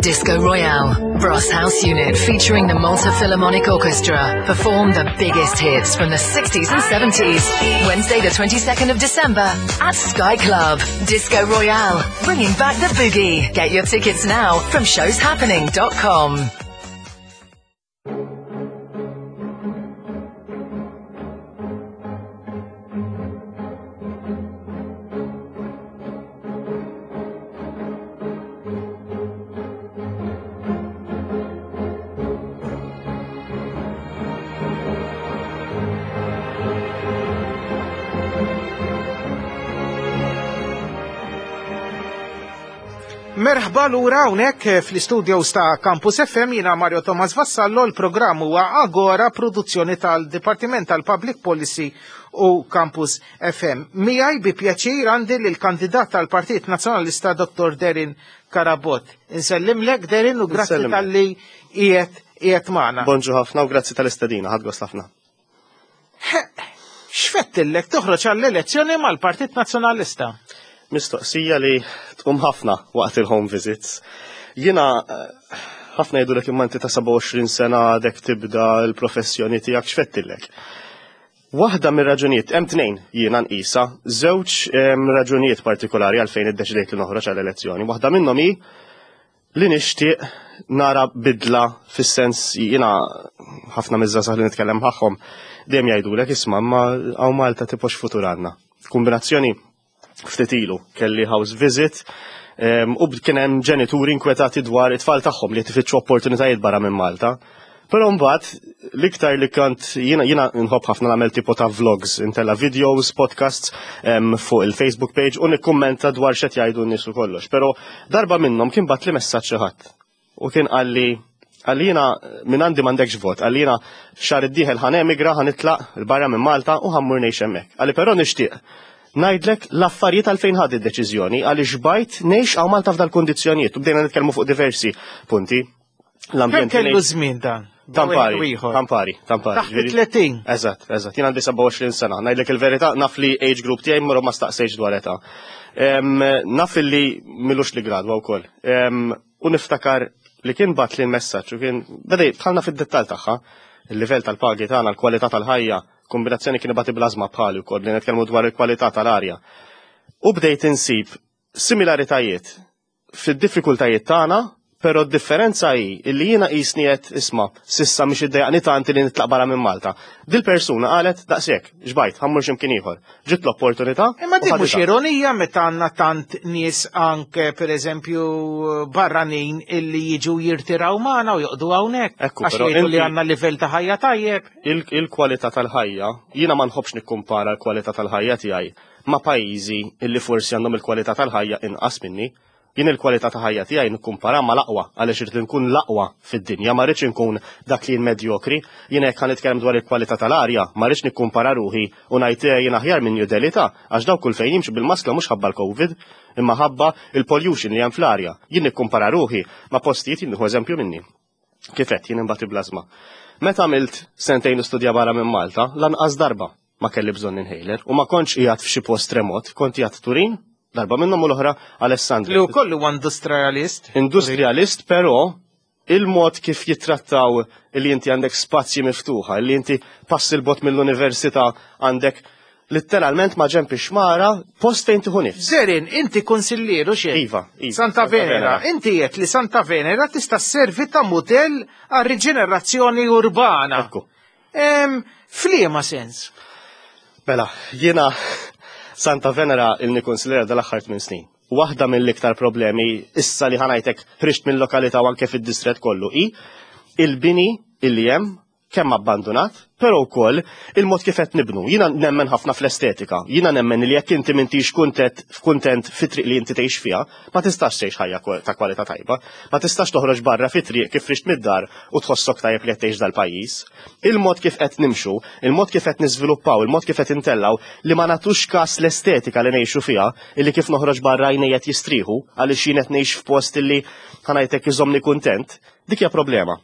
Disco Royale, Brass House Unit featuring the Malta Philharmonic Orchestra perform the biggest hits from the sixties and seventies. Wednesday the twenty-second of December at Sky Club. Disco Royale, bringing back the boogie. Get your tickets now from shows happening dot com. Merħba lura hawnhekk fl-istudios ta' Campus F M, jiena Mario Thomas Vassallo, l-programm huwa Agora, produzzjoni tal-Dipartiment tal-Public Policy u Campus F M. Miegħi bi pjaċir għandi lill-kandidat tal-Partit Nazzjonalista Doktor Darren Carabott. Insellimlek Darren u grazzi tal-li qiegħed qiegħed magħna. Bonġu ħafna u grazzi tal-istedina, ħadd gost ħafna. X'fettillek toħroġ għall-elezzjoni mal-Partit Nazzjonalista? Mistoqsija li tqum ħafna waqt il-home visits. Jiena eh, ħafna jgħidulek imma inti ta' sebgħa u għoxrin sena għadek tibda l-professjoni tiegħek, x'fettillek. Waħda mir-raġunijiet, hemm tnejn jiena nqisha, żewġ em, raġunijiet partikolari għalfejn iddeċidejt li noħroġ għall-elezzjoni. Waħda minnhom hi li nixtieq nara bidla, fis-sens jiena ħafna miż-żgħażagħ li nitkellem magħhom dejjem jgħidulek, "Isma', ma hawn Malta tipo x'futur għandna?" Kombinazzjoni, ftit ilu kelli house visit em, u kien hemm ġenituri inkwetati dwar it-tfal tagħhom li tifittxu opportunitajiet barra minn Malta. Però mbagħad l-iktar li kont jiena jiena nħobb ħafna nagħmel tipo ta' vlogs, intella videos, podcasts em, fuq il-Facebook page u nikkummenta dwar x'qed jgħidu n-nies u kollox. Però darba minnhom kien bagħatli messaġġ xi ħadd u kien qalli qalli jiena minn għandi m'għandekx vot, qalli jiena xahar id-dieħel ħa nemigra, ħa nitlaq 'il barra minn Malta u ħa mmur ngħix hemmhekk. Qalli però nixtieq ngħidlek l-affarijiet għalfejn ħadt id-deċiżjoni, għaliex bajt ngħix hawn Malta f'dal kundizzjonijiet, u bdejna nitkellmu fuq diversi punti. Kemm kellu żmien dan? Tampari, Ieħor. tampari, tampari. Taħt Ġifieri- tletin. Eżatt, eżatt. Jien għandi sebgħa u għoxrin sena. Ngħidlek il-verità, naf li age group tiegħi mru ma staqsejx dwar età. Em, Naf li m'ilux li gradwa wkoll. Em, U niftakar li kien bagħatli l-messaġġ u kien beda dħalna fid-dettall tagħha, il-livell tal-pagi tagħna, l-kwalità tal-ħajja, kombinazzjoni kien ibati bl-ażma bħali wkoll li nitkellmu dwar il-kwalità tal-arja. U bdejt insib similaritajiet fid-diffikultajiet tagħna, però d-differenza hi illi jiena qisni qed, isma', s'issa mhix iddejjaqni tant li nitlaq barra minn Malta. Dil-persuna qalet daqshekk, xbajt, ħa mmur x'imkien ieħor. Ġiet l-opportunità. Imma u din mhux ħaditha. ironija meta għandna tant nies, anke pereżempju barranin, illi jiġu jirtiraw magħna u joqogħdu hawnhekk. Ekku, Għax però jgħidu li inti- għandna livell ta' ħajja tajjeb. Il- Il-kwalità tal-ħajja, jiena ma nħobbx nikkumpara l-kwalità tal-ħajja tiegħi ma' pajjiżi illi forsi għandhom il-kwalità tal-ħajja inqas minni. Jien il-kwalità ta' ħajja tiegħi nikkumpara ma' l-aqwa għaliex irid nkun l-aqwa fid-dinja, ma rridx inkun dak li jien medjokri. Jien hekk ħa nitkellem dwar il-kwalità tal-arja, ma rridx nikkumpara ruħi u ngħid eh, jien aħjar minn New Delhi ta' għax dawk kull fejn jimxu bil-maskla mhux ħabba l-Covid, imma ħabba il-pollution li hemm fl-arja. Jien nikkumpara ruħi ma' postijiet, jien nieħu eżempju minni. Kif għedt, jien imbati bl-ażma. Meta għamilt sentejn studja barra minn Malta, lanqas darba ma kelli bżonn inhaler u ma kontx qiegħed f'xi post remot, kont qiegħed Turin, darba minnhom, u l-oħra Alessandria. Li wkoll huwa industrialist. Industrialist, però il-mod kif jittrattaw li inti għandek spazji miftuħa, li inti pass 'il bogħod mill-università għandek letteralment ma' ġenb ix-xmara post fejn tieħu nifs. Zerin, inti konsillieru xejn. Iva, iva. Santa Venera, inti qed li Santa Venera tista' sservi ta' modell għal riġenerazzjoni urbana. Ekku. Em, F'liema sens? Mela, jiena Santa Venera ilni konsilliera dal-aħħar tmien snin. Waħda mill-iktar problemi issa li ħa ngħidlek ħriġt mill-lokalità u anke fid-distret kollu i il-bini illi hemm kemm abbandonat, però wkoll il-mod kif qed nibnu. Jiena nemmen ħafna fl-estetika. Jiena nemmen li jekk inti m'intix kuntent kuntent fit-triq li inti tgħix fiha, ma tistax tgħix ħajja kwa- ta' kwalità tajba. Ma tistax toħroġ barra fit-triq kif ħriġt mid-dar u tħossok tajjeb li qed tgħix dal-pajjiż. Il-mod kif qed nimxu, il-mod kif qed niżviluppaw, il-mod kif qed intellaw li ma nagħtux kas l-estetika li ngħixu fiha, illi kif noħroġ barra għajnejja qed jistrieħu għaliex jien qed ngħix f'post illi ħa ngħidlek iżommni kuntent, dik hija problema.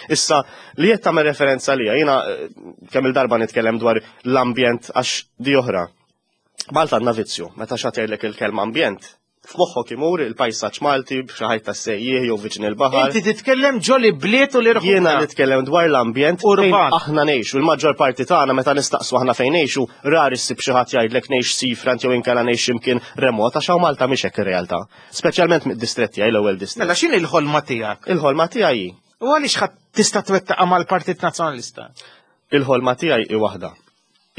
Issa, li qed tagħmel referenza lija, jiena eh, kemm il-darba nitkellem dwar l-ambjent għax di oħra. Malta għandna vizzju, meta xi ħadd jgħidlek il-kelma ambjent, f'moħħok imur il-pajsaġġ Malti b'xi ħajt tas-sejjieħ jew viċin il-baħar. Inti titkellem ġo l-ibliet u l-irħula. Jiena nitkellem dwar l-ambjent fejn Urban. aħna ngħixu. Il-maġġor parti tagħna meta nistaqsu aħna fejn ngħixu, rari ssib xi ħadd jgħidlek ngħix seafront jew inkella ngħix imkien remot, għax hawn Malta mhix hekk ir-realtà. Speċjalment mid-distretti tiegħi, l-ewwel distrett. Mela x'inhi l-ħolma tiegħek? Il-ħolma tiegħi U għaliex ħadd tista' twettaqha mal-Partit Nazzjonalista? Il-ħolma tiegħi hi waħda.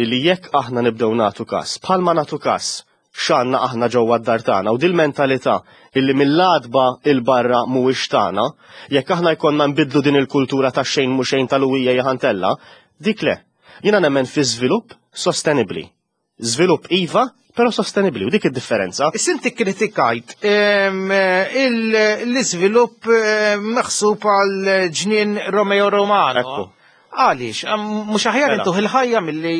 Illi jekk aħna nibdew nagħtu kas, bħalma nagħtu kas x'għandna aħna ġewwa d-dar tagħna u dil-mentalità illi mill-għatba 'il barra mhuwiex tagħna, jekk aħna jkollna nbidlu din il-kultura ta' xejn mhu xejn tal-uwija jaħantella, dik le. Jiena nemmen fi żvilupp sostenibbli. Żvilupp iva, però sostenibbli, u dik id-differenza. Issa inti kritikajt em, il- l-iżvilupp em, maħsub għal ġnien Romeo Romano. Ekku. Għaliex, Am- mhux aħjar Mela. intuh il-ħajja milli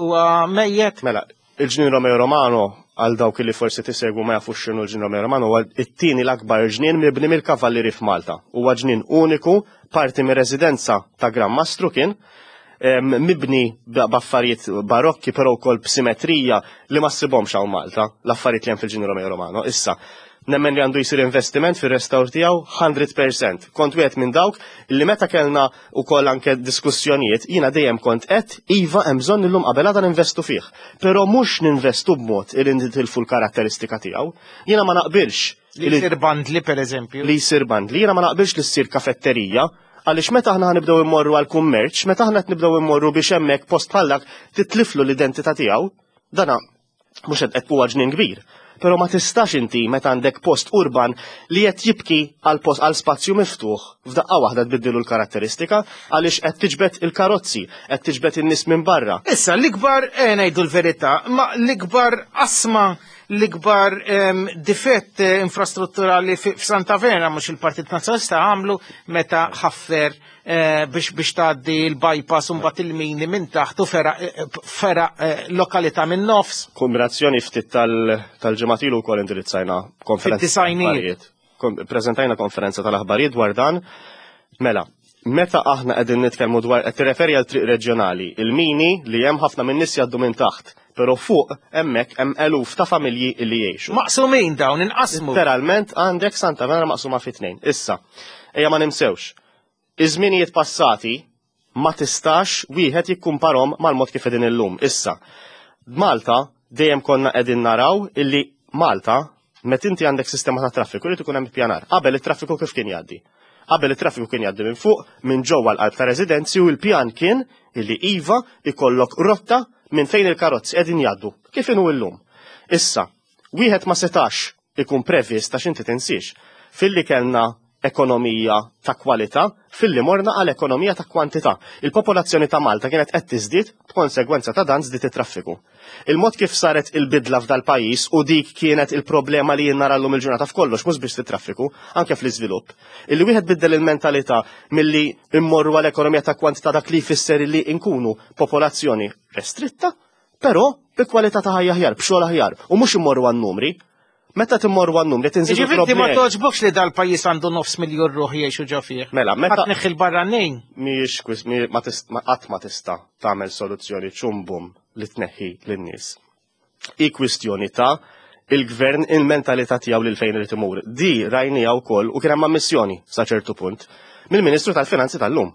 huwa mejjet? Mela, il-ġnien Romeo Romano, għal dawk li forsi tisegwu ma jafux x'inhu l-ġnien Romeo Romano, huwa it-tieni l-akbar ġnien mibni mill-kavallieri f'Malta. Huwa ġnien uniku, parti mir residenza ta' Gran Mastru kien. mibni b'affarijiet barokki però wkoll b'simetrija li ma ssibhomx hawn Malta, l-affarijiet li hemm fil-Ġnien Romeo Romano. Issa, nemmen li għandu jisir investiment fil-restawr tiegħu mija fil-mija. Kont wieħed minn dawk li meta kellna wkoll anke diskussjonijiet, jiena dejjem kont qed iva, hemm bżonn illum qabel għada ninvestu fih. Però mhux ninvestu b'mod li nitilfu l-karatteristika tiegħu. Jiena ma naqbilx li jsir bandli, per eżempju. Li jsir bandli, jiena ma naqbilx li ssir kafetterija, għaliex meta aħna nibdew immorru għal kummerċ, meta aħna qed nibdew immorru biex hemmhekk post bħallak titliflu l-identità tiegħu, dana mhux qed huwa ġnien kbir. Però ma tistax inti, meta għandek post urban li qed jibki għal post, għal spazju miftuħ, f'daqqa waħda tbiddilu l-karatteristika għaliex qed tiġbed il-karozzi, qed tiġbed in-nies minn barra. Issa, l-ikbar, eh, ngħidu l-verità, ma l-ikbar asma, l-ikbar em, difett eh, infrastrutturali fi- f'Santa Venera mhux il-Partit Nazzjonalista għamlu meta ħaffer eh, biex biex tgħaddi l-bypass u mbagħad il-mini minn taħt u fera, eh, fera eh, lokalità minn nofs. Kombinazzjoni ftit tal- tal-ġimgħat ilu wkoll indirizzajna konferenza Fid-disgħinijiet. tal-aħbarijiet. Kom- Preżentajna konferenza tal-aħbarijiet dwar dan. Mela, meta aħna qegħdin nitkellmu dwar, qed tirreferi għal triq reġjonali, il-mini li hemm ħafna minn nies jgħaddu minn taħt, però fuq hemmhekk hemm eluf ta' familji li jgħixu. Maqsumin dawn, inqasmu. Literalment għandek Santa Venera maqsuma fi tnejn. Issa, ejja ma nimsewx. Iż-żminijiet passati ma tistax wieħed jikkumparhom mal-mod kif qegħdin illum. Issa, Malta dejjem konna qegħdin naraw illi Malta, meta inti għandek sistema ta' traffiku, irid ikun hemm ippjanar. Qabel it-traffiku kif kien jgħaddi? Qabel it-traffiku kien jgħaddi minn fuq, minn ġewwa l-qalb ta' residenzi, u l-pjan kien illi iva, ikollok rotta minn fejn il-karozzi qegħdin jgħaddu. Kif inhu llum? Issa, wieħed ma setax ikun previst, għax inti tinsiex filli kellna ekonomija ta' kwalità, filli morna għal ekonomija ta' kwantità. Il-popolazzjoni ta' Malta kienet qed tiżdied, b'konsegwenza ta' dan żdied it-traffiku. Il-mod kif saret il-bidla f'dal pajjiż, u dik kienet il-problema li jien nara llum il-ġurnata f'kollox, mhux biex fit-traffiku, anke fl-iżvilupp. Illi wieħed biddel il-mentalità milli immorru għal ekonomija ta' kwantità, dak li jfisser li nkunu popolazzjoni restritta, però bi kwalità ta' ħajja aħjar, b'xogħol aħjar, u mhux immorru għan-numri. Meta timmorru għan-numri tinżidu Ġifieri ma problemi. toġbokx li dal-pajjiż għandu nofs miljon ruħ jgħixu ġo fih. Mela, meta Ħadd neħħi l-barranin. Mhijiex kwis, mi- ma tist- ma qatt ma tista' tagħmel soluzzjoni ċumbum li tneħħi lin-nies. I kwistjoni ta' il-gvern, il-mentalità tiegħu lil fejn irid imur. Di rajnija wkoll u kien hemm ammissjoni sa ċertu punt mill-Ministru tal-Finanzi tal-lum.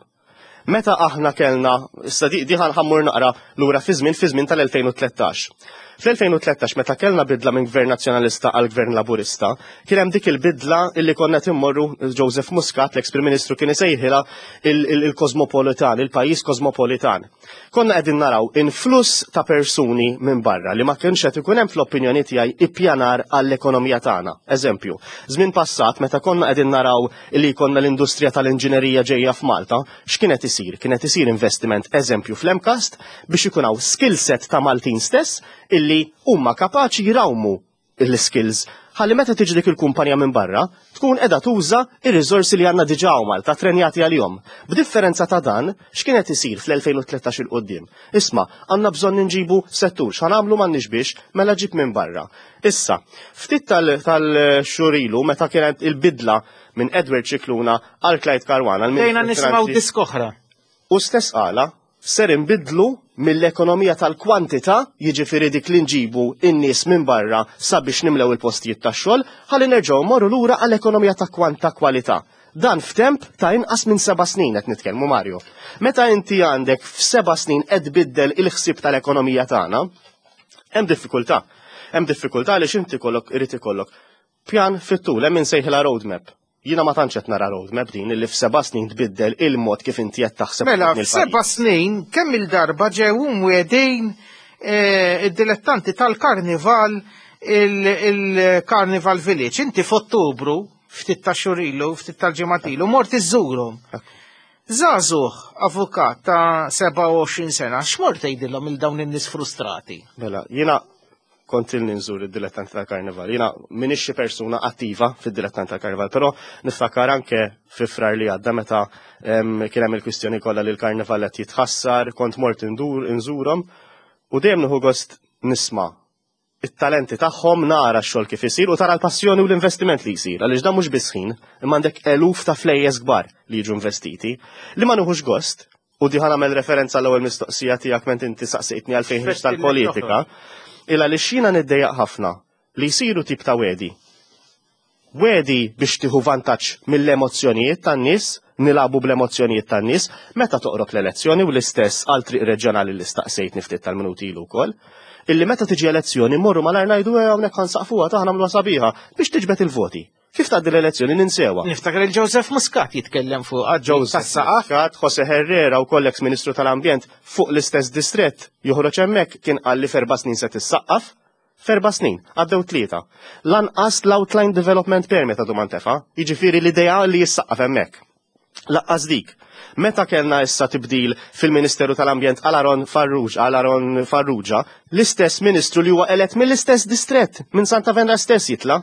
Meta aħna kellna, issa di, di ħa mmur naqra lura fi żmien fi żmien tal-elfejn u tlettax. Fl-elfejn u tlettax, meta kellna bidla minn gvern nazzjonalista għal gvern laburista, kien hemm dik il-bidla illi konna timmorru Joseph Muscat, l-ex Prim Ministru, kien isejħilha il-kosmopolitan, il-pajjiż kosmopolitan. Konna qegħdin naraw influss ta' persuni minn barra li ma kienx qed ikun hemm, fl-opinjoni tiegħi, ippjanar għall-ekonomija tagħna. Eżempju, żmien passat meta konna qegħdin naraw li konna l-industrija tal-inġinerija ġejja f'Malta, x'kienet isir? Kienet isir investiment, eżempju, fl-MCAST biex ikun hawn skill set ta' Maltin stess illi huma kapaċi jrawmu l-skills ħalli meta tiġi dik il-kumpanija minn barra tkun qiegħda tuża ir-riżorsi li għandna diġà hawn Malta trenjati għalihom. B'differenza ta' dan, x'kienet isir fl-elfejn u tlettax il quddiem? Isma', għandna bżonn nġibu settur, x'għamlu, m'għandniex biex, mela ġib minn barra. Issa, ftit tal-xhur ilu meta kienet il-bidla minn Edward Scicluna għal Clyde Caruana, Dejna nisimgħu diska oħra. U stess qala ser inbidlu mill-ekonomija tal-kwantità, jiġifieri dik li nġibu in-nies minn barra sabiex nimlew il-postijiet tax-xogħol, ħalli nerġgħu morru lura għall-ekonomija ta' kwanta kwalità. Dan f'temp ta' inqas minn seba' snin qed nitkellmu, Mario. Meta inti għandek f'seba' snin qed biddel il-ħsieb tal-ekonomija tagħna, hemm diffikultà. Hemm diffikultà għaliex inti kollok irid ikollok pjan fit-tul, hemm insejħilha roadmap. Jiena ma tantx qed nara roadmap din illi f'seba' snin tbiddel il-mod kif inti qed taħseb Mela, fuq il-pajjiż. f'seba' snin kemm il-darba ġew mwegħdin eh, id-dilettanti tal-karnival il-Carnival Village. Inti f'Ottubru, ftit ta' xhur ilu, ftit tal-ġimgħat ilu, mort iżżurhom. Żagħżugħ avukat ta' sebgħa u għoxrin sena, x'mort tgħidilhom il dawn in-nies frustrati? Mela, jiena kont ilni nżur id-dilettanti tal-karnival. Jiena minix xi persuna attiva fid-dilettanti tal-karnival, però niftakar anke fi Frar li għadda meta em, kien hemm il-kwistjoni kollha li l-karnival qed jitħassar, kont mort indur inżurhom u dejjem nieħu gost nisma' it-talenti tagħhom, nara x-xogħol kif isir u tara l-passjoni u l-investiment li jsir, għaliex dan mhux biss ħin, imma għandek eluf ta' flejjes kbar li jiġu investiti. Li ma nieħux gost U di ħa nagħmel referenza l-ewwel mistoqsija tiegħek ment inti saqsejtni għalfejn ħriġt tal-politika, illa li xina niddejjaq ħafna li jsiru tip ta' wedi. Wedi biex tieħu vantaġġ mill-emozzjonijiet tan-nies, nilagħbu bl-emozzjonijiet tan-nies, meta toqrob l-elezzjoni u l-istess għal triq reġjonali li staqsejtni ftit tal-minuti ilu wkoll. Illi meta tiġi elezzjoni morru malajr ngħidu "Eh, hawnhekk ħa nsaqfuha ta' nagħmluha sabiħa" biex tiġbed il-voti. Kif tgħaddi l-elezzjoni ninsewha. Niftakar il-Joseph Muscat jitkellem fuq Joseph tas-saqaf. Muscat, Jose Herrera u koll ex-Ministru tal-Ambjent fuq l-istess distret joħroġ hemmhekk kien qal li f'erba' snin se tissaqqaf. F'erba' snin, għaddew tlieta. Lanqas l-Outline Development Permit għadu ma ntefa', jiġifieri l-idea li jissaqqaf hemmhekk. Lanqas dik. Meta kellna issa tibdil fil-Ministeru tal-Ambjent għal Aaron Farrugia, għal Aaron Farrugia, l-istess ministru li huwa elett mill-istess distret, minn Santa Venera stess jitla'.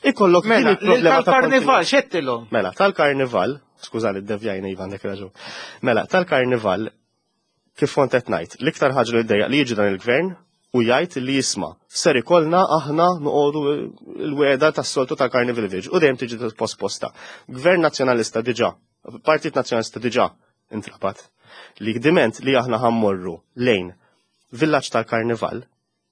Ikollok din Mela, il-problema ta' tal-karnival, kontinwità. xettilhom? Mela, tal-karnival, skużani, ddevjajna Ivan dak raġun. Mela, tal-karnival, kif kont qed ngħid, l-iktar ħaġa li ddejjaq li jiġi dan il-gvern u jgħid li jisma' ser ikollna aħna noqogħdu l-weda tas-soltu tal-Carnival Village u dejjem tiġi posposta. Gvern Nazzjonalista diġà, Partit Nazzjonalista diġà intrabat li diment li aħna ħa mmorru lejn villaġġ tal-karnival,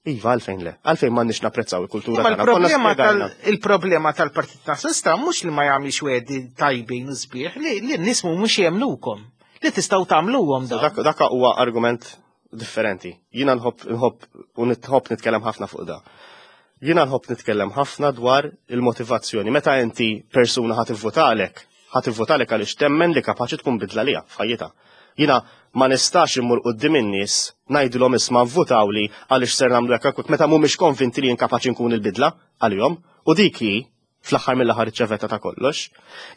iva għalfejn le, għalfejn m'għandniex napprezzaw il-kultura Ma tagħna. Konna l-problema tal- spjegajna. il-problema tal-Partit Nazzjonalista mhux li ma jagħmilx wedi tajbin u sbieħ, li li n-nies mhumiex jemnukom. Li tistgħu tagħmluhom dawn. Dak dak huwa argument differenti. Jiena nħobb nħobb u nħobb nitkellem ħafna fuq da. Jiena nħobb nitkellem ħafna dwar il-motivazzjoni. Meta inti persuna ħa tivvotalek, ħa tivvotalek għaliex temmen li kapaċi tkun bidla lija f'ħajjitha. Jiena ma nistax immur quddiem in-nies ngħidilhom isma' vvutawli għaliex ser nagħmlu hekk hekk meta mhumiex konvinti li jien kapaċi nkun il-bidla għalihom. U dik hi fl-aħħar mill-aħħar iċ-ċavetta ta' kollox.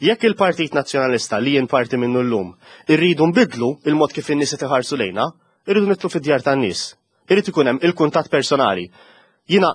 Jekk il-Partit Nazzjonalista li jien parti minnu llum irridu nbidlu il-mod kif in-nies qed iħarsu lejna, irridu nidħlu fid-djar tan-nies. Irid ikun hemm il-kuntatt personali. Jiena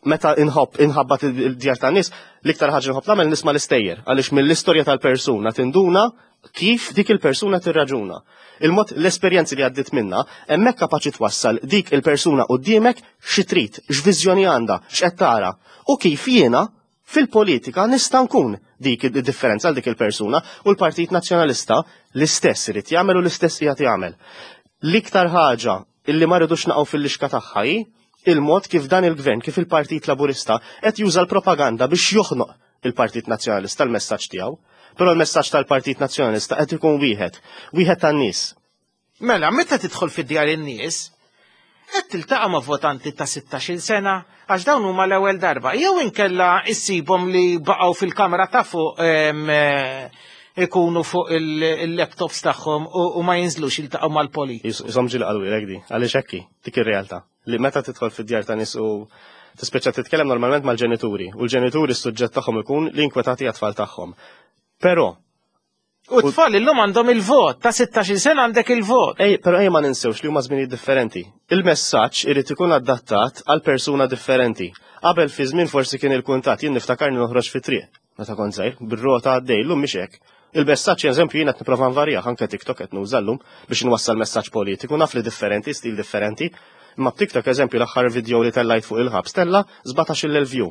meta inħobb inħabbat il-djar tan-nies, l-iktar ħaġa nħobb nagħmel nisma' l-istejjer għaliex mill-istorja tal-persuna tinduna kif dik il-persuna tirraġuna. Il-mod l-esperjenzi li għaddit minna, hemmhekk kapaċi twassal dik il-persuna quddiemek xi trid, x'viżjoni għandha, x'qed tara u kif jiena fil-politika nista' nkun dik id-differenza għal dik il-persuna u l-Partit Nazzjonalista l-istess irid jagħmel u l-istess qiegħed jagħmel. L-iktar ħaġa illi ma rridux naqgħu fil-lixka tagħha hi il-mod kif dan il-gvern, kif il-Partit Laburista qed juża l-propaganda biex joħnoq il-Partit Nazzjonalista l-messaġġ tiegħu. Però l-messaġġ tal-Partit Nazzjonalista qed ikun wieħed, wieħed tan-nies. Mela, meta tidħol fid-djar in-nies, qed tiltaqa' ma' votanti ta' sittax-il sena għax dawn huma l-ewwel darba. Jew inkella issibhom li baqgħu fil-kamra ta' fuq em, eh, ikunu fuq il- il-laptops tagħhom u u ma jinżlux jiltaqgħu mal-politiku. Isom ġili qalulek di, għaliex hekk hi, dik ir-realtà. Li meta tidħol fid-djar ta' nies u tispeċa titkellem normalment mal-ġenituri, u l-ġenituri s-suġġett tagħhom ikun li inkwetati għat-tfal tagħhom. Però U tfal illum għandhom il-vot, ta' sittax-il sena għandek il-vot. Ej, però ej ma ninsewx li huma żminijiet differenti. Il-messaġġ irid ikun adattat għal persuna differenti. Qabel fi żmien forsi kien il-kuntatt, jien niftakarni noħroġ fi triq meta kont żgħir, bir-rota għaddej, llum mhix hekk. Il-messaġġ eżempju jien qed nipprova nvarjah anke TikTok qed nuża llum biex nwassal messaġġ politiku, naf li differenti, stil differenti. Imma b'TikTok eżempju l-aħħar video li tellajt fuq il-ħabs tella sbatax-il elf view.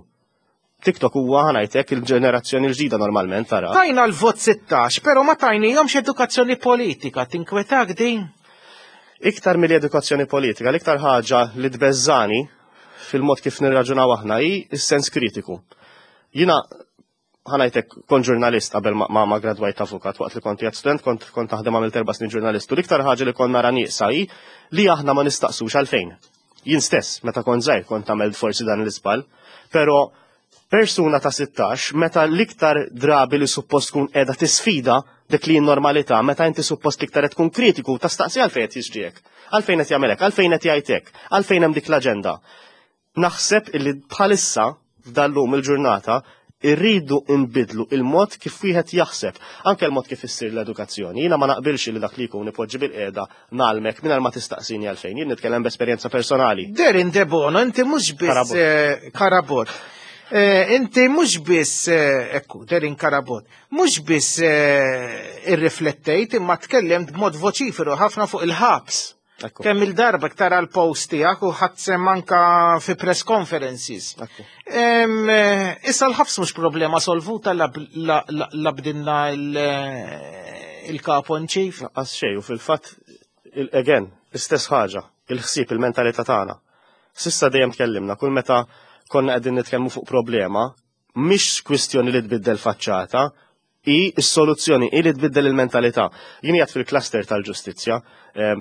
TikTok huwa ħa ngħidlek il-ġenerazzjoni l-ġdida normalment tara. Tajna l-vot sittax, pero ma tajnihomx edukazzjoni politika, tinkwetak din? Iktar mill-edukazzjoni politika, l-iktar ħaġa li tbeżżani fil-mod kif nirraġunaw aħna hi s-sens kritiku. Jiena ħa ngħidlek kont ġurnalist qabel ma, ma, ma gradwajt avukat waqt li kont jgħid student kont kont taħdem għamilt erba' snin ġurnalist u l-iktar ħaġa li kont nara nieqsa hi li aħna ma nistaqsux għalfejn. Jien stess meta kont żgħir kont għamilt forsi dan l-iżball, però persuna ta' sittax meta l-iktar drabi li suppost tkun qiegħda tisfida dik li normalità, meta inti suppost l-iktar qed tkun kritiku tastaqsi għalfejn qed jiġri hekk, għalfejn qed jagħmel hekk, għalfejn qed jgħid hekk, għalfejn hemm dik l-aġenda. Naħseb illi bħalissa f'dallum il-ġurnata irridu nbidlu il-mod kif wieħed jaħseb, anke l-mod kif issir l-edukazzjoni. Jiena ma naqbilx li dak li jkun ipoġġi bil-qiegħda nagħlmek mingħajr ma tistaqsini għalfejn. Jien nitkellem b'esperjenza personali. Darren Debono, inti mhux biss Carabott. eh, Carabott. Eh, inti mhux biss eh, ekku, Darren Carabott, mhux biss eh, irriflettejt imma tkellimt b'mod voċiferu ħafna fuq il-ħabs. Ekku. Kemm il-darba tara l-post tiegħek u ħadd sem anka fi press conferences. Ekku. Em, eh, Issa l-ħabs mhux problema solvuta la la- la- la bdinna il- eh, il-capo in chief. Lanqas xejn, u fil-fatt Again, l-istess ħaġa, il-ħsieb, il-mentalità tagħna. S'issa dejjem tkellimna, kull meta konna qegħdin nitkellmu fuq problema, mhix kwistjoni li tbiddel faċċata, i s-soluzzjoni i li tbiddel il-mentalità. Jien qiegħed fil-cluster tal-ġustizzja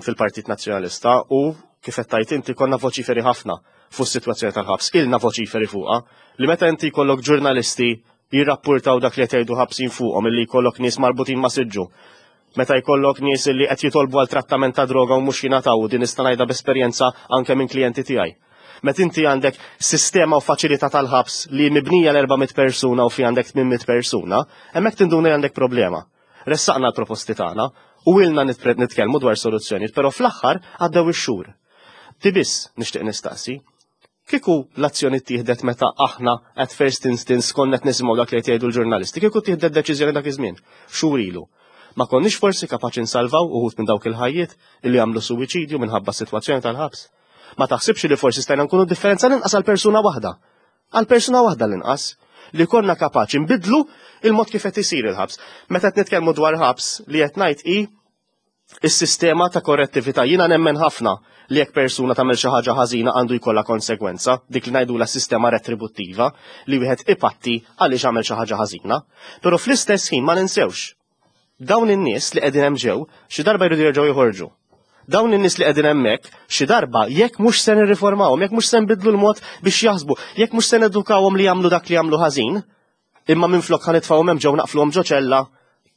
fil-Partit Nazzjonalista u kif qed tgħid inti konna voċiferi ħafna fuq is-sitwazzjoni tal-ħabs, ilna voċiferi fuqha, li meta inti jkollok ġurnalisti jirrappurtaw dak li qed jgħidu ħabsin fuqhom, illi jkollok nies marbutin ma' siġġu. Meta jkollok nies li qed jitolbu għal trattament ta' droga u mhux jingħataw, din nista' ngħidha b'esperjenza anke minn klijenti tiegħi. Meta inti għandek sistema u faċilità tal-ħabs li mibnija l-erba' mitt persuna u fi għandek tmien mitt persuna, hemmhekk tinduna li għandek problema. Ressaqna l-proposti tagħna u ilna nitkellmu dwar soluzzjonijiet, però fl-aħħar għaddew ix-xhur. Ti biss nixtieq nistaqsi, kieku l-azzjoni ttieħdet meta aħna at first instance konna qed nisimgħu dak li qed jgħidu l-ġurnalisti, kieku ttieħdet deċiżjoni dak iż-żmien, xhur ilu. Ma konniex forsi kapaċi nsalvaw uħud minn dawk il-ħajjiet illi għamlu suwiċidju minħabba s-sitwazzjoni tal-ħabs? Ma taħsibx li forsi stajna nkunu differenza l-inqas għal persuna waħda? Għal persuna waħda l-inqas li konna kapaċi nbidlu il-mod kif qed isir il-ħabs. Meta qed nitkellmu dwar ħabs li qed ngħid hi is-sistema ta' korrettività. Jiena nemmen ħafna li jekk persuna tagħmel xi ħaġa ħażina għandu jkollha konsegwenza, dik li ngħidulha sistema retributtiva li wieħed ipatti għaliex għamel xi ħaġa ħażina. Però fl-istess ħin ma ninsewx dawn in-nies li qegħdin hemm ġew xi darba jridu jerġgħu joħorġu. Dawn in-nies li qegħdin hemmhekk xi darba jekk mhux se nirriformawhom, jekk mhux se nbidlu l-mod biex jaħsbu, jekk mhux se nedukawhom li jagħmlu dak li jagħmlu ħażin, imma minflok ħa nitfgħuhom hemm ġew naqfluhom ġo ċella,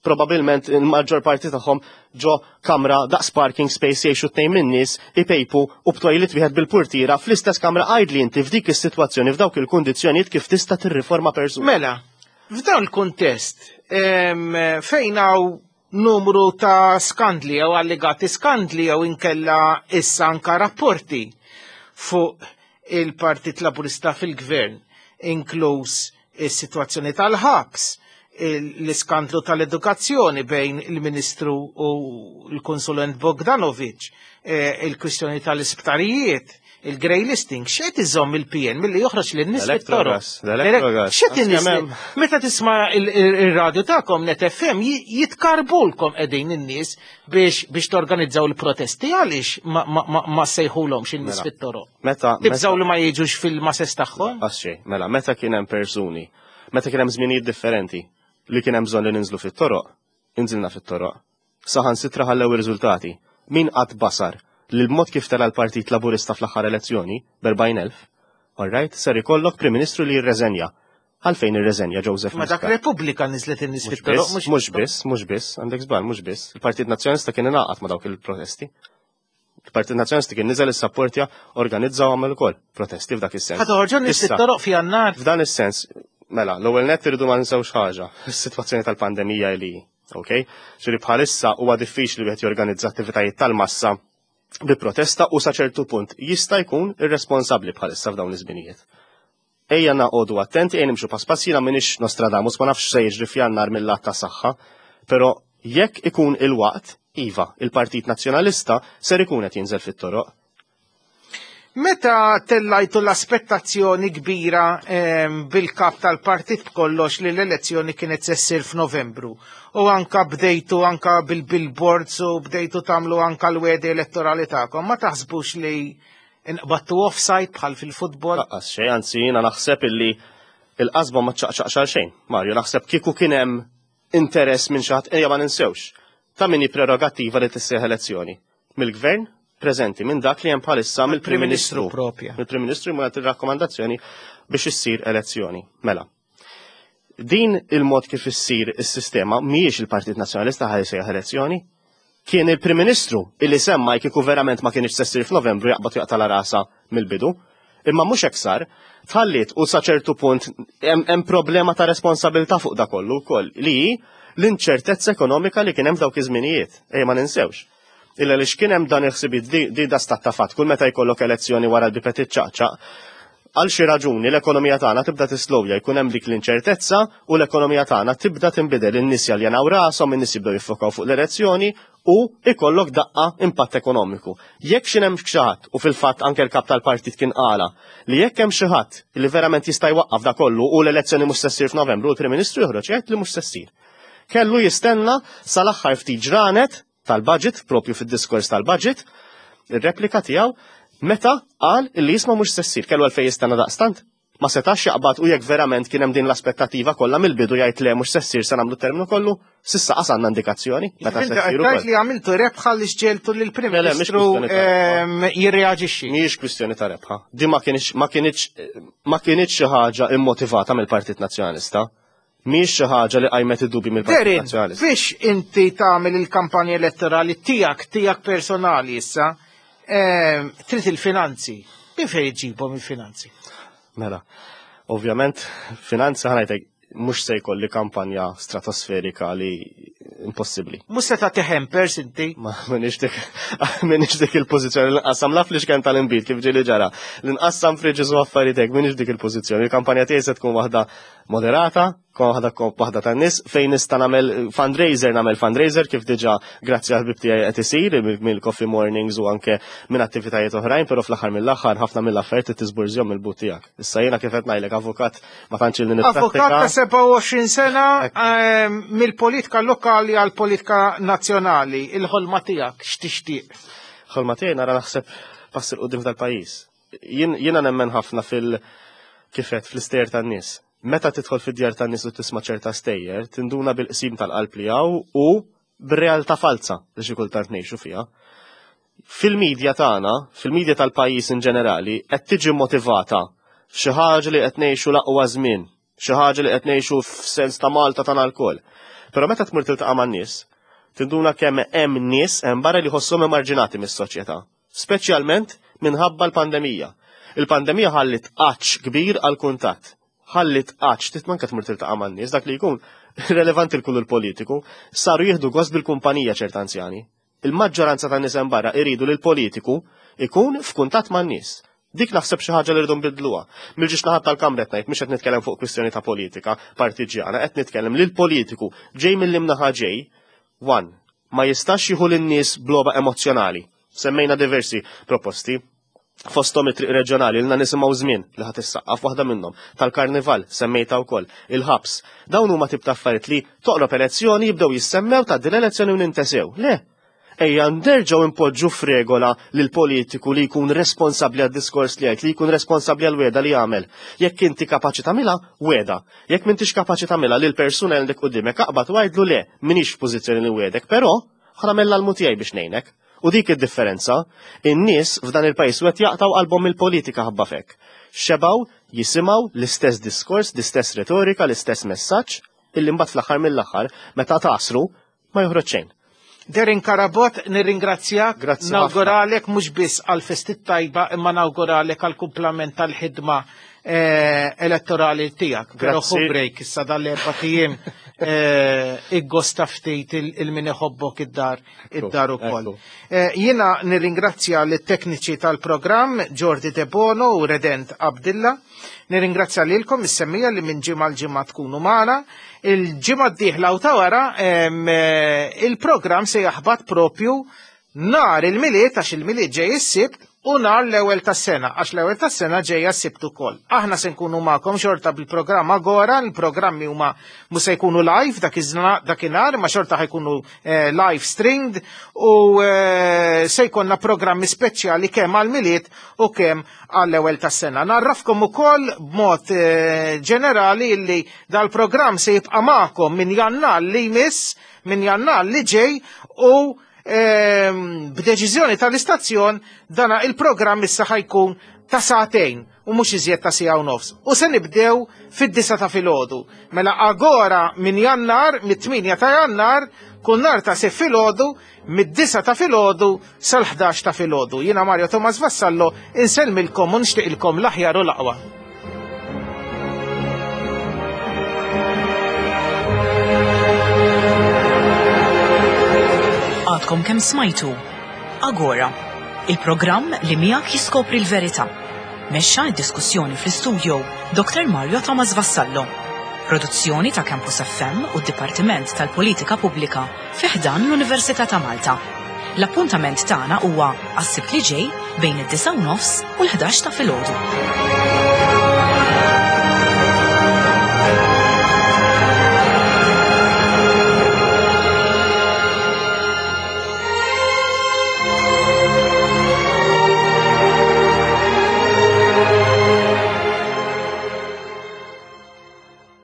probabilment il-maġġor parti tagħhom ġo kamra daqs parking space jgħixu tnejn min-nies ipejpu u b'toilet wieħed bil-purtiera fl-istess kamra, għidli inti f'dik is-sitwazzjoni f'dawk il-kundizzjonijiet kif tista' tirriforma persuna. Mela, f'dan il-kuntest fejn hawn numru ta' skandli jew allegati skandli jew inkella issa anka rapporti fuq il-Partit Laburista fil-Gvern, inkluż is-sitwazzjoni tal-ħabs, l-iskandlu tal-edukazzjoni bejn il-Ministru u l-Konsulent Bogdanovic, il-kwistjoni tal-isptarijiet, il-grey listing, x'qed iżomm il-P N milli joħroġ lin-nies fit-toroq? X'qed in-nies meta tisma' ir-radju tagħkom Net F M jitkarbulkom qegħdin in-nies biex biex torganizzaw il-protesti, għaliex ma sejħulhomx in-nies fit-toroq? Meta tibżgħu li ma jiġux fil-mases tagħhom? Għax mela, meta kien hemm persuni, meta kien hemm żminijiet differenti li kien hemm bżonn li ninżlu fit-toroq, inżilna fit-toroq. Saħansitra ħallew ir-riżultati. Min qatt basar li l-mod kif tela l-Partit Laburista fl-aħħar elezzjoni b'erbgħin elf, all right, ser ikollok Prim Ministru li jirreżenja. Għalfejn irreżenja Joseph Ma dak Muscat? Repubblika niżlet in-nies fit-toroq, mhux Mhux biss, mhux biss, għandek żball, mhux biss. Il-Partit Nazzjonalista kien ingħaqad ma' dawk il-protesti. Il-Partit Nazzjonalista kien niżel issapportja, organizza u għamel ukoll protesti f'dak is-sens. Ħa toħorġu n-nies Issa, fit-toroq fi Jannar. F'dan is-sens, mela, l-ewwel nett irridu ma ninsewx ħaġa, is-sitwazzjoni tal-pandemija li, ok? Ġifieri bħalissa huwa diffiċli wieħed jorganizza attivitajiet tal-massa bi protesta u sa ċertu punt jista' jkun irresponsabbli bħalissa f'dawn iż-żminijiet. Ejja naqogħdu attenti, ejja nimxu pass pass, jiena m'iniex Nostradamus, ma nafx se jiġri f'Jannar mill-lat ta' saħħa, però jekk ikun il-waqt, iva, il-Partit Nazzjonalista ser ikun qed jinżel fit-toroq. Meta tellajtu l-aspettazzjoni kbira, ehm, bil-kap tal-partit b'kollox li l-elezzjoni kienet se ssir f'Novembru u anka bdejtu anka bil-billboards u bdejtu tagħmlu anka l-wegħdi elettorali tagħkom, ma taħsbux li nqbattu offside bħal fil-futbol? Lanqas xejn, anzi jiena naħseb illi il-qasba ma ċaqċaqx għal xejn. Mario, naħseb kieku kien hemm interess minn xi ħadd, ejja ma ninsewx, ta' min hi prerogattiva li tissejjaħ elezzjoni mill-gvern preżenti, minn dak li hemm bħalissa mill-Prim Ministru. Propja. Mill-Prim Ministru jmur jagħti rakkomandazzjoni biex issir elezzjoni. Mela, din il-mod kif issir is-sistema mhijiex il-Partit Nazzjonalista ħaj jsejjaħ elezzjoni. Kien il-Prim Ministru illi semma kieku verament ma kienx se ssir f'Novembru jaqbad jaqta' la rasa mill-bidu. Imma mhux hekk sar, tħallit u sa ċertu punt hemm, hemm problema ta' responsabilità fuq da kollu wkoll li hi l-inċertezza ekonomika li kien hemm f'dawk iż-żminijiet. Ejja ma ninsewx. Illa li x'kien hemm dan il-ħsibiet di, di da stat ta' fatt, kull meta jkollok elezzjoni wara l-bibet iċċaqċaq, għal xi raġuni l-ekonomija tagħna tibda tislowja, jkun hemm dik l-inċertezza u l-ekonomija tagħna tibda tinbidel, in-nies jaljanaw rashom, in-nies jibdew jiffokaw fuq l-elezzjoni u ikollok daqqa impatt ekonomiku. Jekk xi hemm xi ħadd, u fil-fatt anke l-kap tal-partit kien qala li jekk hemm xi ħadd li verament jista' jwaqqaf da kollu u l-elezzjoni mhux se ssir f'Novembru, l-Prim Ministru joħroġ jgħid li mhux se ssir. Kellu jistenna sal-aħħar ftit ġranet tal-budget, propju fid-diskors tal-budget, ir-replika tiegħu meta qal illi jisma' mhux se ssir, kellu għalfejn jistenna daqstant. Ma setax jaqbad u jekk verament kien hemm din l-aspettattiva kollha mill-bidu jgħid le mhux se ssir se nagħmlu terminu kollu, s'issa qas għandna indikazzjoni meta se ssir ukoll. Li għamiltu rebħa li xġeltu lill-Prim Ministru jirreaġixxi. Mhijiex kwistjoni ta' rebħa. Din ma kienx ma kienx ma kienx xi ħaġa immotivata mill-Partit Nazzjonalista. Mhijiex xi ħaġa li qajmet id-dubji mill-Partit Nazzjonalista. Biex inti tagħmel il-kampanja elettorali tiegħek tiegħek personali issa, trid il-finanzi. Min fejn iġibhom il-finanzi? Mela, ovvjament, finanza ħanajtek mhux se jkolli kampanja stratosferika li impossibbli. Mhux se tagħti hampers inti? Ma minix dik minix dik il-pożizzjoni li nqassam laf li xkemm tal-inbid kif ġieli ġara. Li nqassam friġis u affarijiet hekk minix dik il-pożizzjoni. Il-kampanja tiegħi se tkun waħda moderata, waħda waħda tan-nies fejn nista' nagħmel fundraiser, nagħmel fundraiser kif diġà grazzi għal ħbib tiegħi qed isir mill-coffee mornings u anke minn attivitajiet oħrajn, però fl-aħħar mill-aħħar ħafna mill-affarijiet tisburżjhom mill-but tiegħek. Issa jiena kif qed ngħidlek avukat ma tantx ilni nipprattika. Avukat ta' sebgħa u għoxrin sena mill-politika lokali għall politika nazzjonali, il-ħolma tiegħek x'tixtieq? Ħolma tiegħi nara naħseb pass il quddiem tal-pajjiż. Jiena nemmen ħafna fil kifet fl-istejjer tan-nies. Meta tidħol fid-djar tan-nies u tisma' ċerta stejjer, tinduna bil-qsim tal-qalb li hawn u bir-realtà falsa li xi kultant ngħixu fiha. Fil-medja tagħna, fil-medja tal-pajjiż in ġenerali, qed tiġi motivata xi ħaġa li qed ngħixu l-aqwa żmien, xi ħaġa li qed ngħixu f'sens ta' Malta tagħna lkoll. Però meta tmur tiltaqa' man-nies, tinduna kemm hemm nies hemm barra li jħossuhom emarġinati mis-soċjetà, speċjalment minħabba l-pandemija. Il-pandemija ħallit għatx kbir għall-kuntatt. Ħallit għatx, tit manka tmur tiltaqa' man-nies, dak li jkun relevanti l-kull il-politiku, saru jieħdu gost bil-kumpanija ċert anzjani. Il-maġġoranza tan-nies hemm barra iridu li l-politiku ikun f'kuntatt man-nies. Dik naħseb xi ħaġa li rridu nbidluha. Mill-ġiex naħat tal-kamra qed ngħid mhux qed nitkellem fuq kwistjoni ta' politika partiġjana, qed nitkellem li l-politiku ġej mill-imnaħa ġej, one, ma jistax jieħu lin-nies b'logħba emozzjonali. Semmejna diversi proposti. Fosthom it-triq reġjonali ilna nisimgħu żmien li ħadd issaqqaf waħda minnhom, tal-karnival semmejta wkoll, il-ħabs. Dawn huma tip ta' affarijiet li toqrob elezzjoni jibdew jissemmew ta' din elezzjoni u nintesew. Le, ejja nerġgħu impoġġu f'regola lil politiku li jkun responsabbli għad-diskors li jgħid, li jkun responsabbli għal-weda li jagħmel. Jekk inti kapaċi tagħmilha, weda. Jekk m'intix kapaċi tagħmilha lil persuna li għandek quddiemek aqbad u għidlu le, m'iniex f'pożizzjoni li wedek, però ħa nagħmel l-almu tiegħi biex ngħinek. U dik id-differenza, in-nies f'dan il-pajjiż qed jaqtaw qalbhom mill-politika ħabba fek. Xebaw jisimgħu l-istess diskors, l-istess retorika, l-istess messaġġ, illi mbagħad fl-aħħar mill-aħħar meta tasru ma joħroġ xejn. Darren Carabott, nirringrazzjak, nawguralek mhux biss għal-festi tajba, imma nawguralek għal-kumplament tal-ħidma elettorali tiegħek. Però ħu break issa dal-erba' tiem iggosta ftit il-min iħobbok id-dar id-dar ukoll. Jiena nirringrazzja lit-tekniċi tal-programm Jordi Debono u Redent Abdilla. Nirringrazzja lilkom is-semmija li minn ġimgħa l-ġimgħa tkunu magħna. Il-ġimgħa d-dieħla u ta' wara il-programm se jaħbat propju nhar il-Milied, għax il-Milied ġej is-Sibt, u nhar l-ewwel tas-sena, għax l-ewwel tas-sena ġejja s-Sibt ukoll. Aħna se nkunu magħkom xorta bil-programm Agora, il-programmi huma mhux se jkunu live dak dakinhar, ma xorta ħajkunu live streamed u se jkollna programmi speċjali kemm għall-Milied u kemm għall-ewwel tas-sena. Narrafkom ukoll b'mod ġenerali li dal-programm se jibqa' magħkom minn Jannar li jmiss, minn Jannar li ġej, u b'deċiżjoni tal-istazzjon dana il-programm issa ħajkun ta' sagħtejn u mhux iżjed ta' siegħa u nofs. U se nibdew fid-disa ta' filgħodu. Mela Agora minn Jannar, mit-tminja ta' Jannar, kull nhar ta' se filgħodu, mid-disa ta' filgħodu sal-ħdax ta' filgħodu. Jiena Mario Thomas Vassallo insellmilkom u nixtieqilkom l-aħjar u l-aqwa. Għadkom kemm smajtu Agora, il-programm li miegħek jiskopri l-verità. Mexxa d-diskussjoni fl-istudio Doktor Mario Thomas Vassallo. Produzzjoni ta' Campus F M u d-Dipartiment tal-Politika Pubblika fi ħdan l-Università ta' Malta. L-appuntament tagħna huwa għas-Sibt li ġej bejn id-disgħa u nofs u l-ħdax ta' filgħodu.